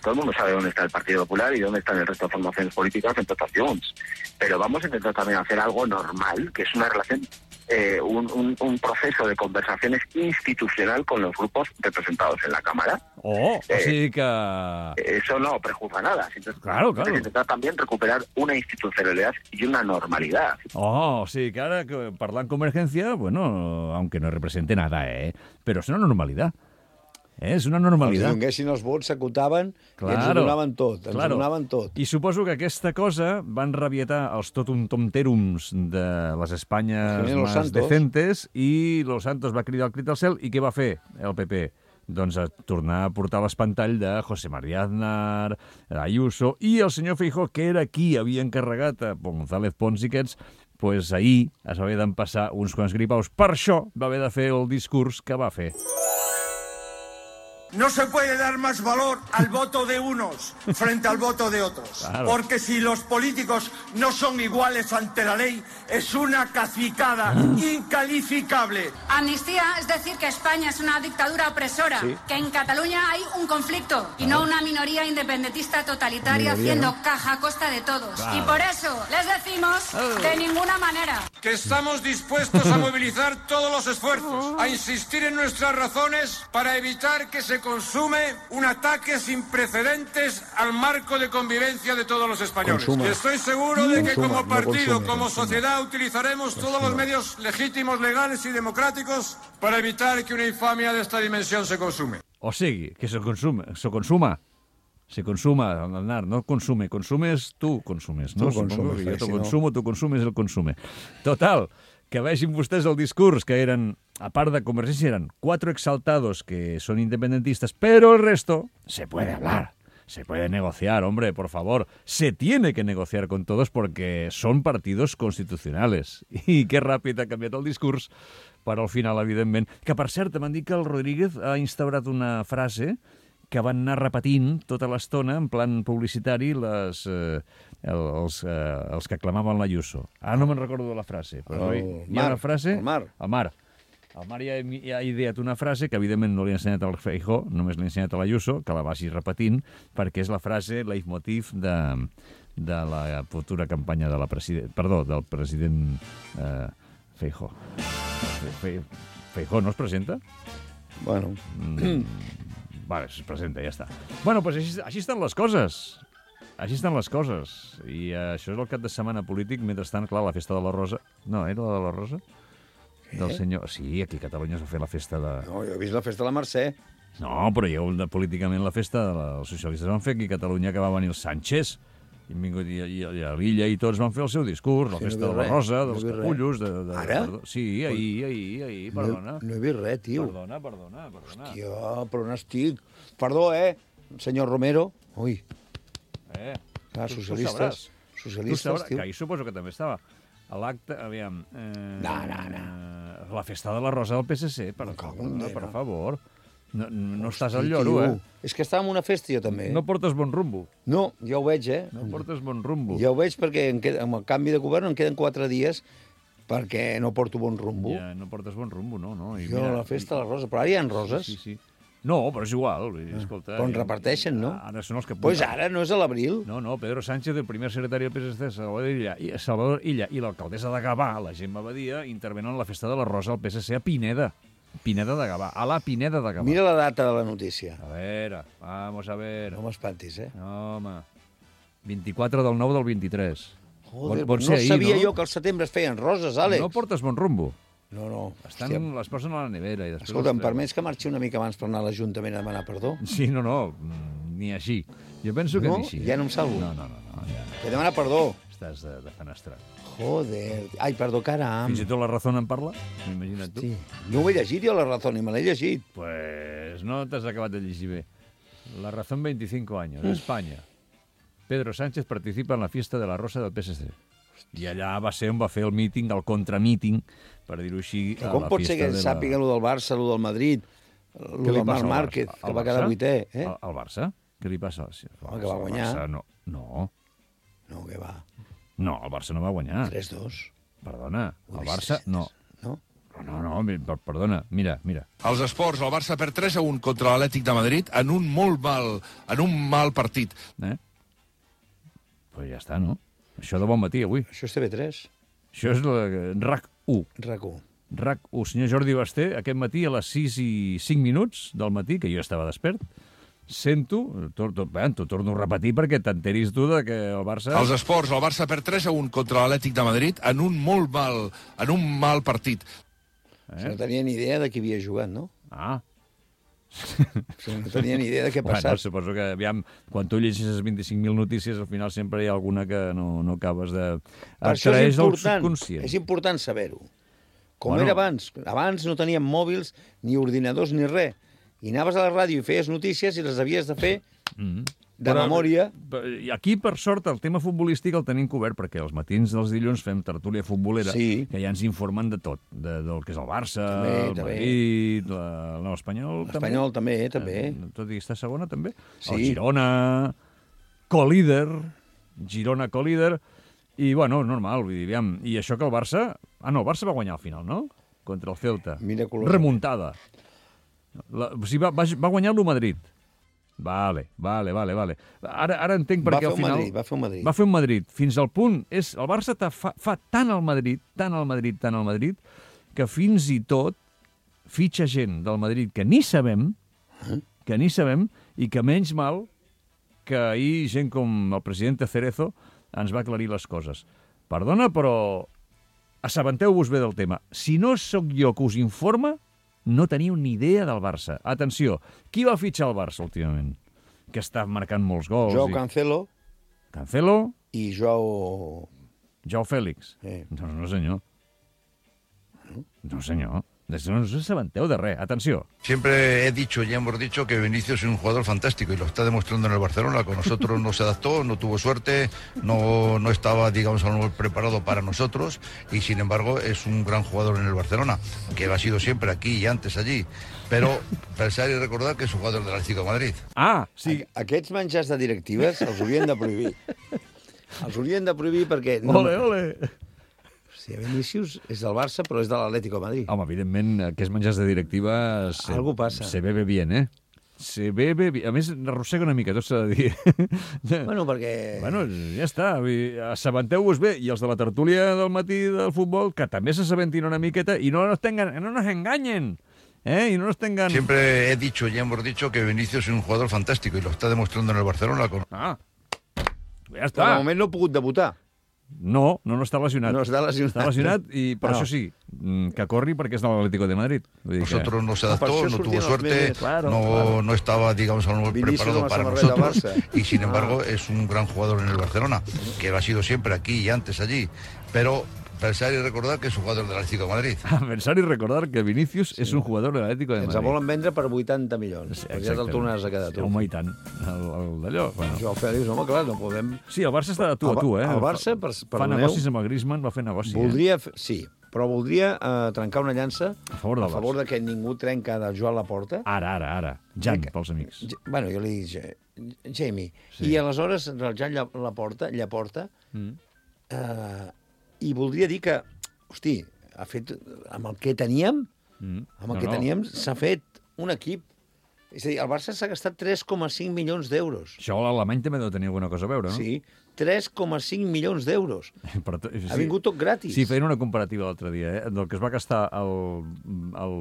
Todo el mundo sabe dónde está el Partido Popular y dónde están el resto de formaciones políticas en totes Junts. Pero vamos a intentar también hacer algo normal, que es una relación, eh, un, un, un proceso de conversaciones institucional con los grupos representados en la Cámara. Oh, o Eh, sigui que... Eso no prejuzga nada. Entonces, Claro, claro. Hay que intentar también recuperar una institucionalidad y una normalidad. Oh, o sigui que ara que parlant Convergencia, bueno, aunque no represente nada, eh? Però és una normalitat. Eh? És una Els normalitat. donguessin els vots, s'acotaven i ens ho Claro, donaven tot. Ens claro. ho donaven tot. I suposo que aquesta cosa van rabietar els totum tomterums de les Espanyes Los más Santos. decentes i Los Santos va cridar el crit al cel i què va fer el P P? Doncs a tornar a portar l'espantall de José María Aznar, Ayuso i el senyor Feijó, que era qui havia encarregat a González Pons i aquests, pues ahir es va haver d'empassar uns quants gripaus. Per això va haver de fer el discurs que va fer. No se puede dar más valor al voto de unos frente al voto de otros. Claro. Porque si los políticos no son iguales ante la ley, es una cacicada incalificable. Amnistía es decir que España es una dictadura opresora, Sí. que en Cataluña hay un conflicto y no una minoría independentista totalitaria Minoría, haciendo ¿no? caja a costa de todos. Claro. Y por eso les decimos de ninguna manera. Que estamos dispuestos a movilizar todos los esfuerzos, a insistir en nuestras razones para evitar que se consume un ataque sin precedentes al marco de convivencia de todos los españoles. Consuma. Y estoy seguro de que Consuma, como no partido, consume, como consuma. sociedad, utilizaremos todos los medios legítimos, legales y democráticos para evitar que una infamia de esta dimensión se consume. O sigui, que se consuma, se consuma. Se consuma, Aznar, no consume. Consumes, tu consumes. No? Tu Supongo consumes, que jo eh, te si no- consumo, tu consumes, el consume. Total, que vegin vostès el discurs, que eren, a part de Convergència, eren cuatro exaltados que son independentistas, pero el resto se puede hablar. Se puede negociar, hombre, por favor. Se tiene que negociar con todos porque son partidos constitucionales. I que ràpid ha canviat el discurs per al final, evidentment. Que, per cert, m'han dit que el Rodríguez ha instaurat una frase que van anar repetint tota l'estona, en plan publicitari, les, eh, els, eh, els que aclamaven l'Ayuso. Ara no me'n recordo de la frase, però El hi ha Mar, una frase... el Mar. El Mar. El Mar ja, ja ha ideat una frase que, evidentment, no li ha ensenyat al Feijó, només li ha ensenyat a l'Ayuso, que la vagi repetint, perquè és la frase leitmotiv de, de la futura campanya de la president... Perdó, del president eh, Feijó. Fe, Feijó no es presenta? Bueno... Mm, vale, es presenta, ja està. Bueno, doncs així, així estan les coses. Així estan les coses. I eh, això és el cap de setmana polític. Mentrestant, clar, la festa de la Rosa... No, era la de la Rosa? Del senyor... Sí, aquí a Catalunya es va fer la festa de... No, jo he vist la festa de la Mercè. No, però hi ha hagut de, políticament la festa de la... Els socialistes van fer aquí a Catalunya, que va venir el Sánchez, i, han vingut, i, i, i a l'illa i tots van fer el seu discurs, la Sí, no festa he de vist la res, Rosa, no he dels vist capullos... res. De, de, Ara? Perdó, sí, ahir, ahir, ahir, perdona. No, no he vist res, tio. Perdona, perdona, perdona. Hòstia, però on estic? Perdó, eh, senyor Romero. Ui. Eh, Clar, tu- tu socialistes, sabràs. socialistes, tu sabràs, tio. que ahir suposo que també estava a l'acte, aviam... Eh, no, no, no. La festa de la Rosa del P S C, per, no, no, per favor. No, no Hosti, estàs al lloro, tio. eh? És que estava en una festa jo també. No portes bon rumbo. No, ja ho veig, eh? No portes bon rumbo. Ja ho veig perquè en queda, amb el canvi de govern em queden quatre dies perquè no porto bon rumbo. Ja, no portes bon rumbo, no. no. I jo mira, a la festa de la Rosa, però ara hi ha roses. Sí, sí. No, però és igual. Escolta, però en reparteixen, no? Ara són els que... Doncs pues ara no és a l'abril. No, no, Pedro Sánchez, el primer secretari del P S C, Salvador Illa, i, Salvador Illa i l'alcaldessa de Gavà, la Gemma Badia, intervenen en la festa de la Rosa al P S C a Pineda. Pineda de Gavà, a la Pineda de Gavà. Mira la data de la notícia. A veure, vamos a ver. No m'espantis, eh? No, home. vint-i-quatre del nou del vint-i-tres. Joder, bon, bon no ahir, sabia no? jo que al setembre es feien roses, Àlex. No portes bon rumbo. No, no. Estan, les posen a la nevera i després... Escolta, em permets que marxi una mica abans per anar a l'Ajuntament a demanar perdó? Sí, no, no, ni així. Jo penso que no? ni així. Ja no em salvo? No, no, no. no ja. He de demanar perdó. Estàs de, de fenestrat. Joder. Ai, perdó, caram. Fins i tot la Razón en parla? Imagina't tu. Sí. No ho he llegit jo, la Razón, ni me l'he llegit. Pues no t'has acabat de llegir bé. La Razón, veinticinco años, España. Pedro Sánchez participa en la fiesta de la Rosa del P S C. I allà va ser on va fer el míting, el contramíting, per dir-ho així, a com la pot ser que la... sàpiga allò del Barça, allò del Madrid, allò del Marc Márquez, que va quedar vuitè, eh? Al, al Barça? Què li passa? Home, que va guanyar. Barça, no. no. No, que va. No, el Barça no va guanyar. tres dos. Perdona, el Barça no. No? No, no, perdona, mira, mira. Els esports, el Barça perd tres a un contra l'Atlètic de Madrid en un molt mal, en un mal partit. Eh? Pues ja està, no? Això de bon matí, avui. Això és T V tres. Això és la RAC u. RAC u. RAC u. Senyor Jordi Basté, aquest matí a les sis i cinc minuts del matí, que jo estava despert, sento, t'ho torno a repetir perquè t'enteris tu de que el Barça... Els esports, el Barça perd tres a un contra l'Atlètic de Madrid en un molt mal, en un mal partit. Eh? No tenia ni idea de qui havia jugat, no? Ah. No tenia ni idea de què ha passat. Bueno, suposo que, aviam, quan tu llegeixes vint-i-cinc mil notícies, al final sempre hi ha alguna que no, no acabes de... Per això és important, subconscient. és important saber-ho. Com Bueno. era abans. Abans no teníem mòbils, ni ordinadors, ni res. I anaves a la ràdio i feies notícies i les havies de fer Mm-hmm. de Però, memòria. I aquí, per sort, el tema futbolístic el tenim cobert, perquè els matins dels dilluns fem tertúlia futbolera, Sí. que ja ens informen de tot, de, del que és el Barça, També, el també. Madrid, la, no, l'Espanyol també. L'Espanyol també, també. Eh, tot i estar segona, també. Sí. El Girona, co-líder, Girona co-líder, i, bueno, normal, vull dir, aviam, i això que el Barça... Ah, no, el Barça va guanyar al final, no? Contra el Ceuta. Miraculós. Remuntada. La, o sigui, va, va, va guanyar-lo Madrid. Vale, vale, vale, vale. Ara, ara entenc per Va què fer al un final... Madrid, va fer un Madrid. Va fer un Madrid. Fins al punt... És, el Barça fa, fa tant al Madrid, tant al Madrid, tant al Madrid, que fins i tot fitxa gent del Madrid que ni sabem, que ni sabem, i que menys mal que ahir gent com el president Cerezo ens va aclarir les coses. Perdona, però assabenteu-vos bé del tema. Si no sóc jo que us informa, no teniu ni idea del Barça. Atenció, qui va fitxar el Barça últimament? Que està marcant molts gols. Joao i... Cancelo Cancelo i Joao... Joao Félix. Eh. No, no, senyor. No, senyor. No us assabenteu de res. Atenció. Siempre he dicho, ya hemos dicho, que Vinicius es un jugador fantástico y lo está demostrando en el Barcelona. Con nosotros no se adaptó, no tuvo suerte, no, no estaba, digamos, a lo mejor preparado para nosotros y, sin embargo, es un gran jugador en el Barcelona, que ha sido siempre aquí y antes allí. Pero pensar y recordar que es un jugador del Atlético de Madrid. Ah, sí. Aquests menjars de directives els haurien de prohibir. Els haurien de prohibir perquè... No... Ole, ole! Sí, Vinicius és del Barça, però és de l'Atlético de Madrid. Home, evidentment, aquests menjars de directiva... Se, Algo passa. Se bebe bien, eh? Se bebe bien. A més, arrossega una mica, tot s'ha de dir. Bueno, perquè... Bueno, ja està. Assabenteu-vos bé. I els de la tertúlia del matí del futbol, que també s'assabentin una miqueta i no nos, tengan, no nos enganyen. ¿Eh? Y no nos tengan... Siempre he dicho, ya hemos dicho, que Vinicius es un jugador fantástico y lo está demostrando en el Barcelona. Con... Ah, ja està. De moment no ha pogut debutar. No, no, no està lesionat. No està lesionat. Està lesionat i per No. això sí, que corri perquè és de l'Atlético de Madrid. Vull dir Nosotros que... no se adaptó, no tuvo suerte, claro, no, claro. no estaba, digamos, a lo mejor Vinicius preparado con la para samarreta nosotros Barça. y, sin embargo, es un gran jugador en el Barcelona, que ha sido siempre aquí y antes allí. Pero pensar y recordar que es un jugador del Atlético de Madrid. Pensar i recordar que Vinícius sí. és un jugador de l'Atlético de Madrid. Ens volen vendre per vuitanta milions. Sí, ja te'l tornaràs a quedar tu. Home, i tant. El, el d'allò, bueno. Joao Fèlix, home, clar, no podem... Sí, el Barça està de tu a tu, eh? El Barça, per, per fa negocis amb el Griezmann, va fer negoci. Voldria, eh? Sí, però voldria uh, trencar una llança a favor, a favor de que ningú trenca del Joan Laporta. Ara, ara, ara. Jan, que... pels amics. Ja, bueno, jo li dic Jamie. Sí. I aleshores el Jan Laporta, Llaporta, mm. uh, i voldria dir que, hosti, ha fet, amb el que teníem, mm. amb el no, que teníem, no. s'ha fet un equip. És a dir, el Barça s'ha gastat tres coma cinc milions d'euros. Això l'Alemany també deu tenir alguna cosa a veure, no? Sí, tres coma cinc milions d'euros. Sí, ha vingut tot gratis. Sí, feien una comparativa l'altre dia, eh? Del que es va gastar el... el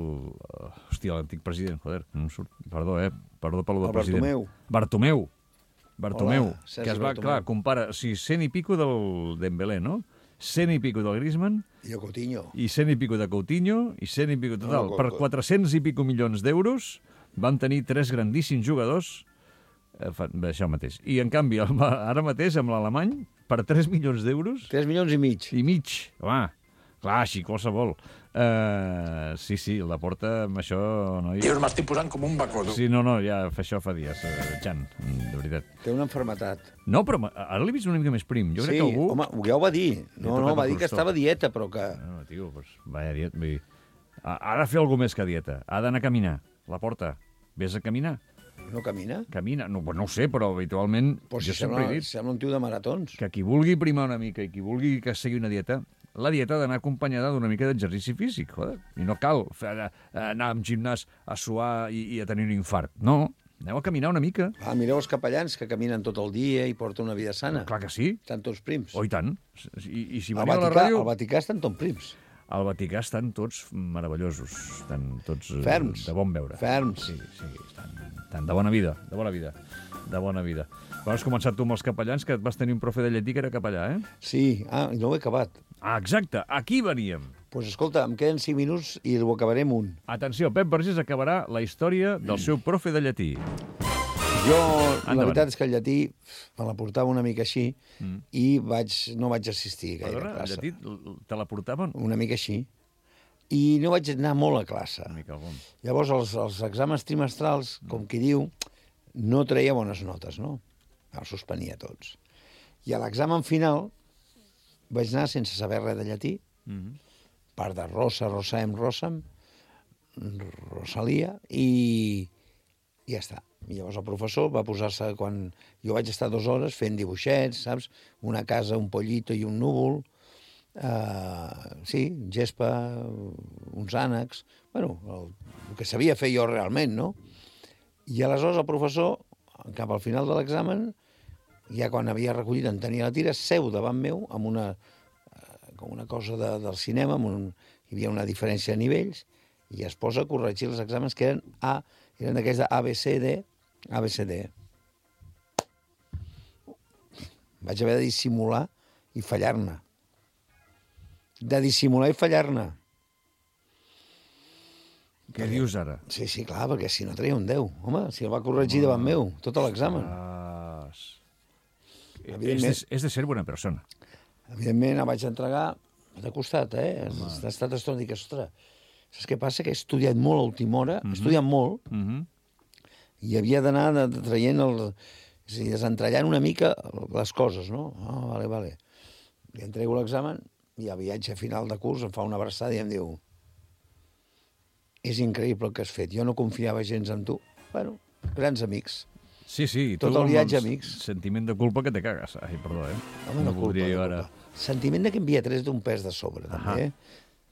hòstia, l'antic president, joder, no em surt, perdó, eh? Perdó pel del president. Bartomeu. Bartomeu. Bartomeu. Hola, que es va, Bartomeu. Clar, compara, o sigui, cent i pico del Dembélé, no? cent i pico del Griezmann... I de Coutinho. I cent i pico de Coutinho, i cent i pico total. No, no, per quatre-cents i pico milions d'euros van tenir tres grandíssims jugadors, eh, això mateix. I, en canvi, ara mateix, amb l'Alemany, per tres milions d'euros... tres milions i mig. I mig, home. Clar, així qualsevol. Uh, sí, sí, la porta amb això... No hi... Jo m'estic posant com un bacó. Sí, no, no, ja fa això fa dies, uh, Jan, de veritat. Té una enfermetat. No, però ara l'he vist una mica més prim. Jo sí, crec que algú... home, ja ho va dir. No, no, va dir que estava a dieta, però que... No, no tio, doncs, vaya dieta. Vull dir, ha, ha de fer alguna més que dieta. Ha d'anar a caminar. La porta. Vés a caminar. No camina? Camina. No, no ho sé, però habitualment... Pues jo si sempre he dit... Sembla un tio de maratons. Que qui vulgui primar una mica i qui vulgui que segui una dieta... La dieta ha d'anar acompanyada d'una mica d'exercici físic, joder. I no cal fer, anar amb gimnàs a suar i, i a tenir un infart. No, aneu a caminar una mica. Ah, mireu els capellans que caminen tot el dia i porten una vida sana. No, clar que sí. Estan tots prims. Oh, i tant. I, i si al, Vaticà, a la ràdio... al Vaticà estan tots prims. Al Vaticà estan tots meravellosos. Estan tots... Ferms. De bon veure. Ferms. Sí, sí, estan, estan de bona vida, de bona vida. De bona vida. Però has començat tu amb els capellans, que vas tenir un profe de llatí que era capellà, eh? Sí, ah, i no ho he acabat. Ah, exacte, aquí veníem. Doncs pues escolta, em queden cinc minuts i ho acabarem un. Atenció, Pep Vergés acabarà la història del seu profe de llatí. Jo, Endavant. La veritat és que el llatí me la portava una mica així mm. i vaig, no vaig assistir gaire Perdona, a classe. El llatí te la portaven? Una mica així. I no vaig anar molt a classe. Una mica bon. Llavors, els, els exàmens trimestrals, mm. com qui diu, no treia bones notes, no? Els suspenia tots. I a l'examen final vaig anar sense saber res de llatí, mm-hmm. part de Rosa, Rosem, Rosam, Rosalia, i, i ja està. I llavors el professor va posar-se, quan jo vaig estar dues hores fent dibuixets, saps? Una casa, un pollito i un núvol, uh, sí, gespa, uns ànecs, bueno, el, el que sabia fer jo realment, no? I aleshores el professor, cap al final de l'examen, ja quan havia recollit, en tenia la tira, seu davant meu, amb una, com una cosa de, del cinema, amb un, hi havia una diferència de nivells, i es posa a corregir els exàmens que eren A, eren d'aquells de A, B, C, D, A, B, C, D. Vaig haver de dissimular i fallar-ne. De dissimular i fallar-ne. Què dius ara? Sí, sí, clar, perquè si no treia un deu. Home, si el va corregir davant meu, tot l'examen. Ah, és, de, és de ser bona persona. Evidentment, el vaig entregar de costat, eh? Ha estat estona i dic, ostres, saps què passa? Que he estudiat molt a última hora, he estudiat molt, i havia d'anar traient el... És a dir, desentrellant una mica les coses, no? Ah, vale, vale. Li entrego l'examen i a viatge final de curs em fa una abraçada i em diu: és increïble el que has fet, jo no confiava gens en tu. Bueno, grans amics. Sí, sí. Tot el viatge, amics. Sentiment de culpa que te cagues. Ai, perdó, eh? Home, no, no culpa, no ara... culpa. Sentiment de que envia tres d'un pes de sobre, uh -huh. també, eh?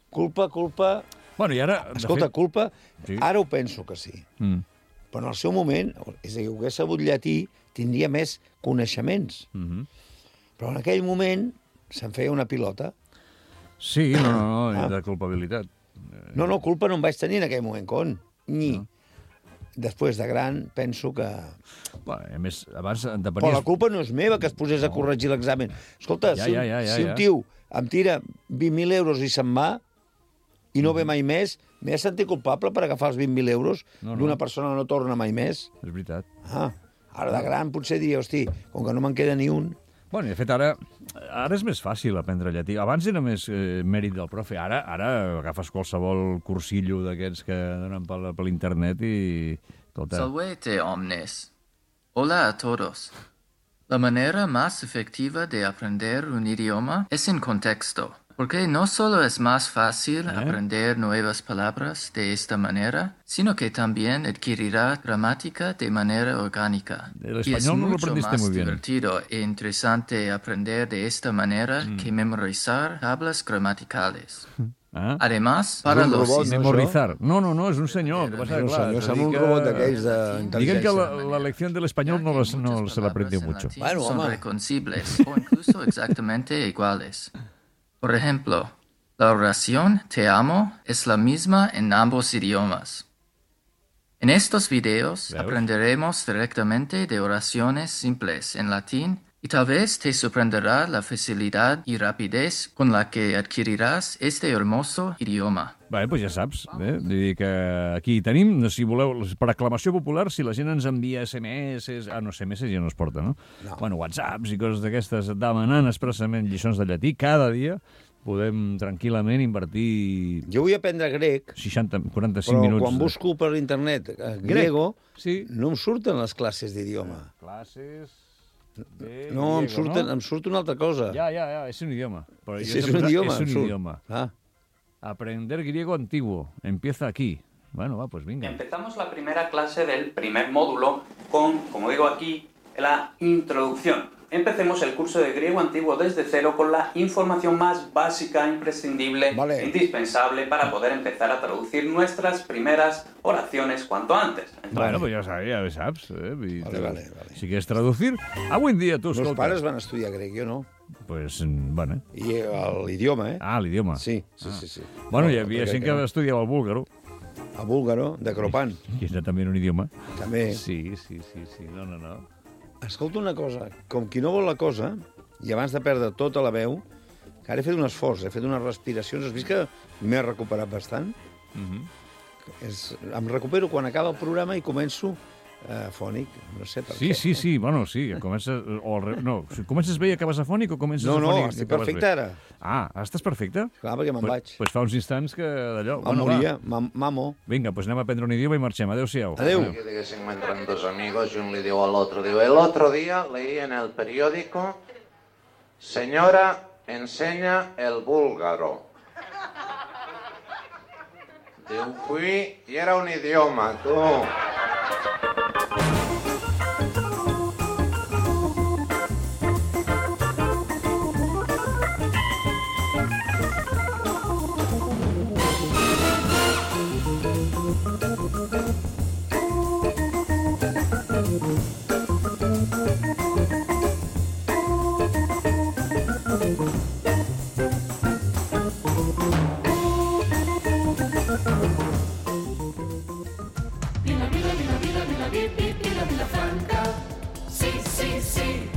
Culpa, culpa... Bueno, i ara... Escolta, fet... culpa, sí. Ara ho penso que sí. Mm. Però en el seu moment, és a dir, ho hagués sabut llatí, tindria més coneixements. Mm -hmm. Però en aquell moment se'n feia una pilota. Sí, no, no, no, ah. de culpabilitat. No, no, culpa no en vaig tenir en aquell moment, con. Ni. No. Després de gran, penso que... Bueno, a més, abans depenies... Però la culpa no és meva, que es posés no. a corregir l'examen. Escolta, ja, si, ja, ja, ja, si un tio em tira vint mil euros i se'n va, i no ve mai més, m'he de sentir culpable per agafar els vint mil euros no, no. d'una persona que no torna mai més. És veritat. Ah, ara de gran potser diria, hosti, com que no me'n queda ni un... Bueno, i de fet, ara, ara és més fàcil aprendre llatí. Abans era més eh, mèrit del profe. Ara ara agafes qualsevol cursillo d'aquests que donen per, per l'internet i... Tota... Salvete omnes. Hola a todos. La manera más efectiva de aprender un idioma es en contexto. Porque no solo es más fácil ¿Eh? aprender nuevas palabras de esta manera, sino que también adquirirá gramática de manera orgánica. El español no lo aprendiste muy bien. Es mucho más divertido e interesante aprender de esta manera mm. que memorizar tablas gramaticales. Ah? Además, para los... Robot, memorizar. No, no, no, és un senyor. Que passa, és un clar, senyor, sembla un robot d'aquells d'intel·ligència. Diguem que la, la lección del español no, los, no se l'aprendió mucho. Bueno, son reconocibles o incluso exactamente iguales. Por ejemplo, la oración te amo es la misma en ambos idiomas. En estos videos ¿Veos? aprenderemos directamente de oraciones simples en latín y tal vez te sorprenderá la facilidad y rapidez con la que adquirirás este hermoso idioma. Bé, doncs ja saps, eh? Vull dir que aquí tenim, si voleu, per aclamació popular, si la gent ens envia esse eme esse, ah, no, esse eme esse ja no es porta, no? no. Bueno, whatsapps i coses d'aquestes demanant expressament lliçons de llatí, cada dia podem tranquil·lament invertir... Jo vull aprendre grec, seixanta, quaranta-cinc però minuts. Però quan de... busco per internet griego, sí. no em surten les classes d'idioma. Classes... De no, em, surten, no? em surt una altra cosa. Ja, ja, ja, és un idioma. Però sí, és un idioma. És un surt. idioma. Ah. Aprender griego antiguo. Empieza aquí. Bueno, va, pues venga. Empezamos la primera clase del primer módulo con, como digo aquí, la introducción. Empecemos el curso de griego antiguo desde cero con la información más básica, imprescindible, vale. indispensable para poder empezar a traducir nuestras primeras oraciones cuanto antes. Entonces, bueno, pues ja sabia, ja saps. Eh? Vale, vale, vale. Si quieres traducir, avui en dia tu, escolta... Meus pares van estudiar grec, jo no. Pues, bueno. I l'idioma, eh? Ah, l'idioma. Sí, sí, ah. sí, sí. Bueno, hi havia gent que estudiava el búlgaro. El búlgaro, de Cropan. Que és també un idioma. També. Sí, sí, sí, sí. No, no, no. Escolta una cosa, com qui no vol la cosa, i abans de perdre tota la veu, que ara he fet un esforç, he fet unes respiracions, has vist que m'he recuperat bastant? Mm-hmm. és, em recupero quan acaba el programa i començo eh, fònic, no sé per sí, què. Sí, sí, bueno, sí, comences, o el, no, comences bé i acabes afònic o comences no, afònic? No, no, estic perfecte ara. Ah, estàs perfecte? Clar, perquè me'n pues, vaig. Doncs pues fa uns instants que d'allò... Em bueno, moria, mamo. Vinga, doncs pues anem a aprendre un idioma i marxem. Adéu-siau. Adéu. Que diguéssim, entran dos amigos y un le digo al otro, digo, el otro día leí en el periódico, señora, enseña el búlgaro. Digo, fui y era un idioma, tú. Vila, Vila, Vila, Vila, Vila, Vila, Vila, Vila Franca. Sí, sí, sí.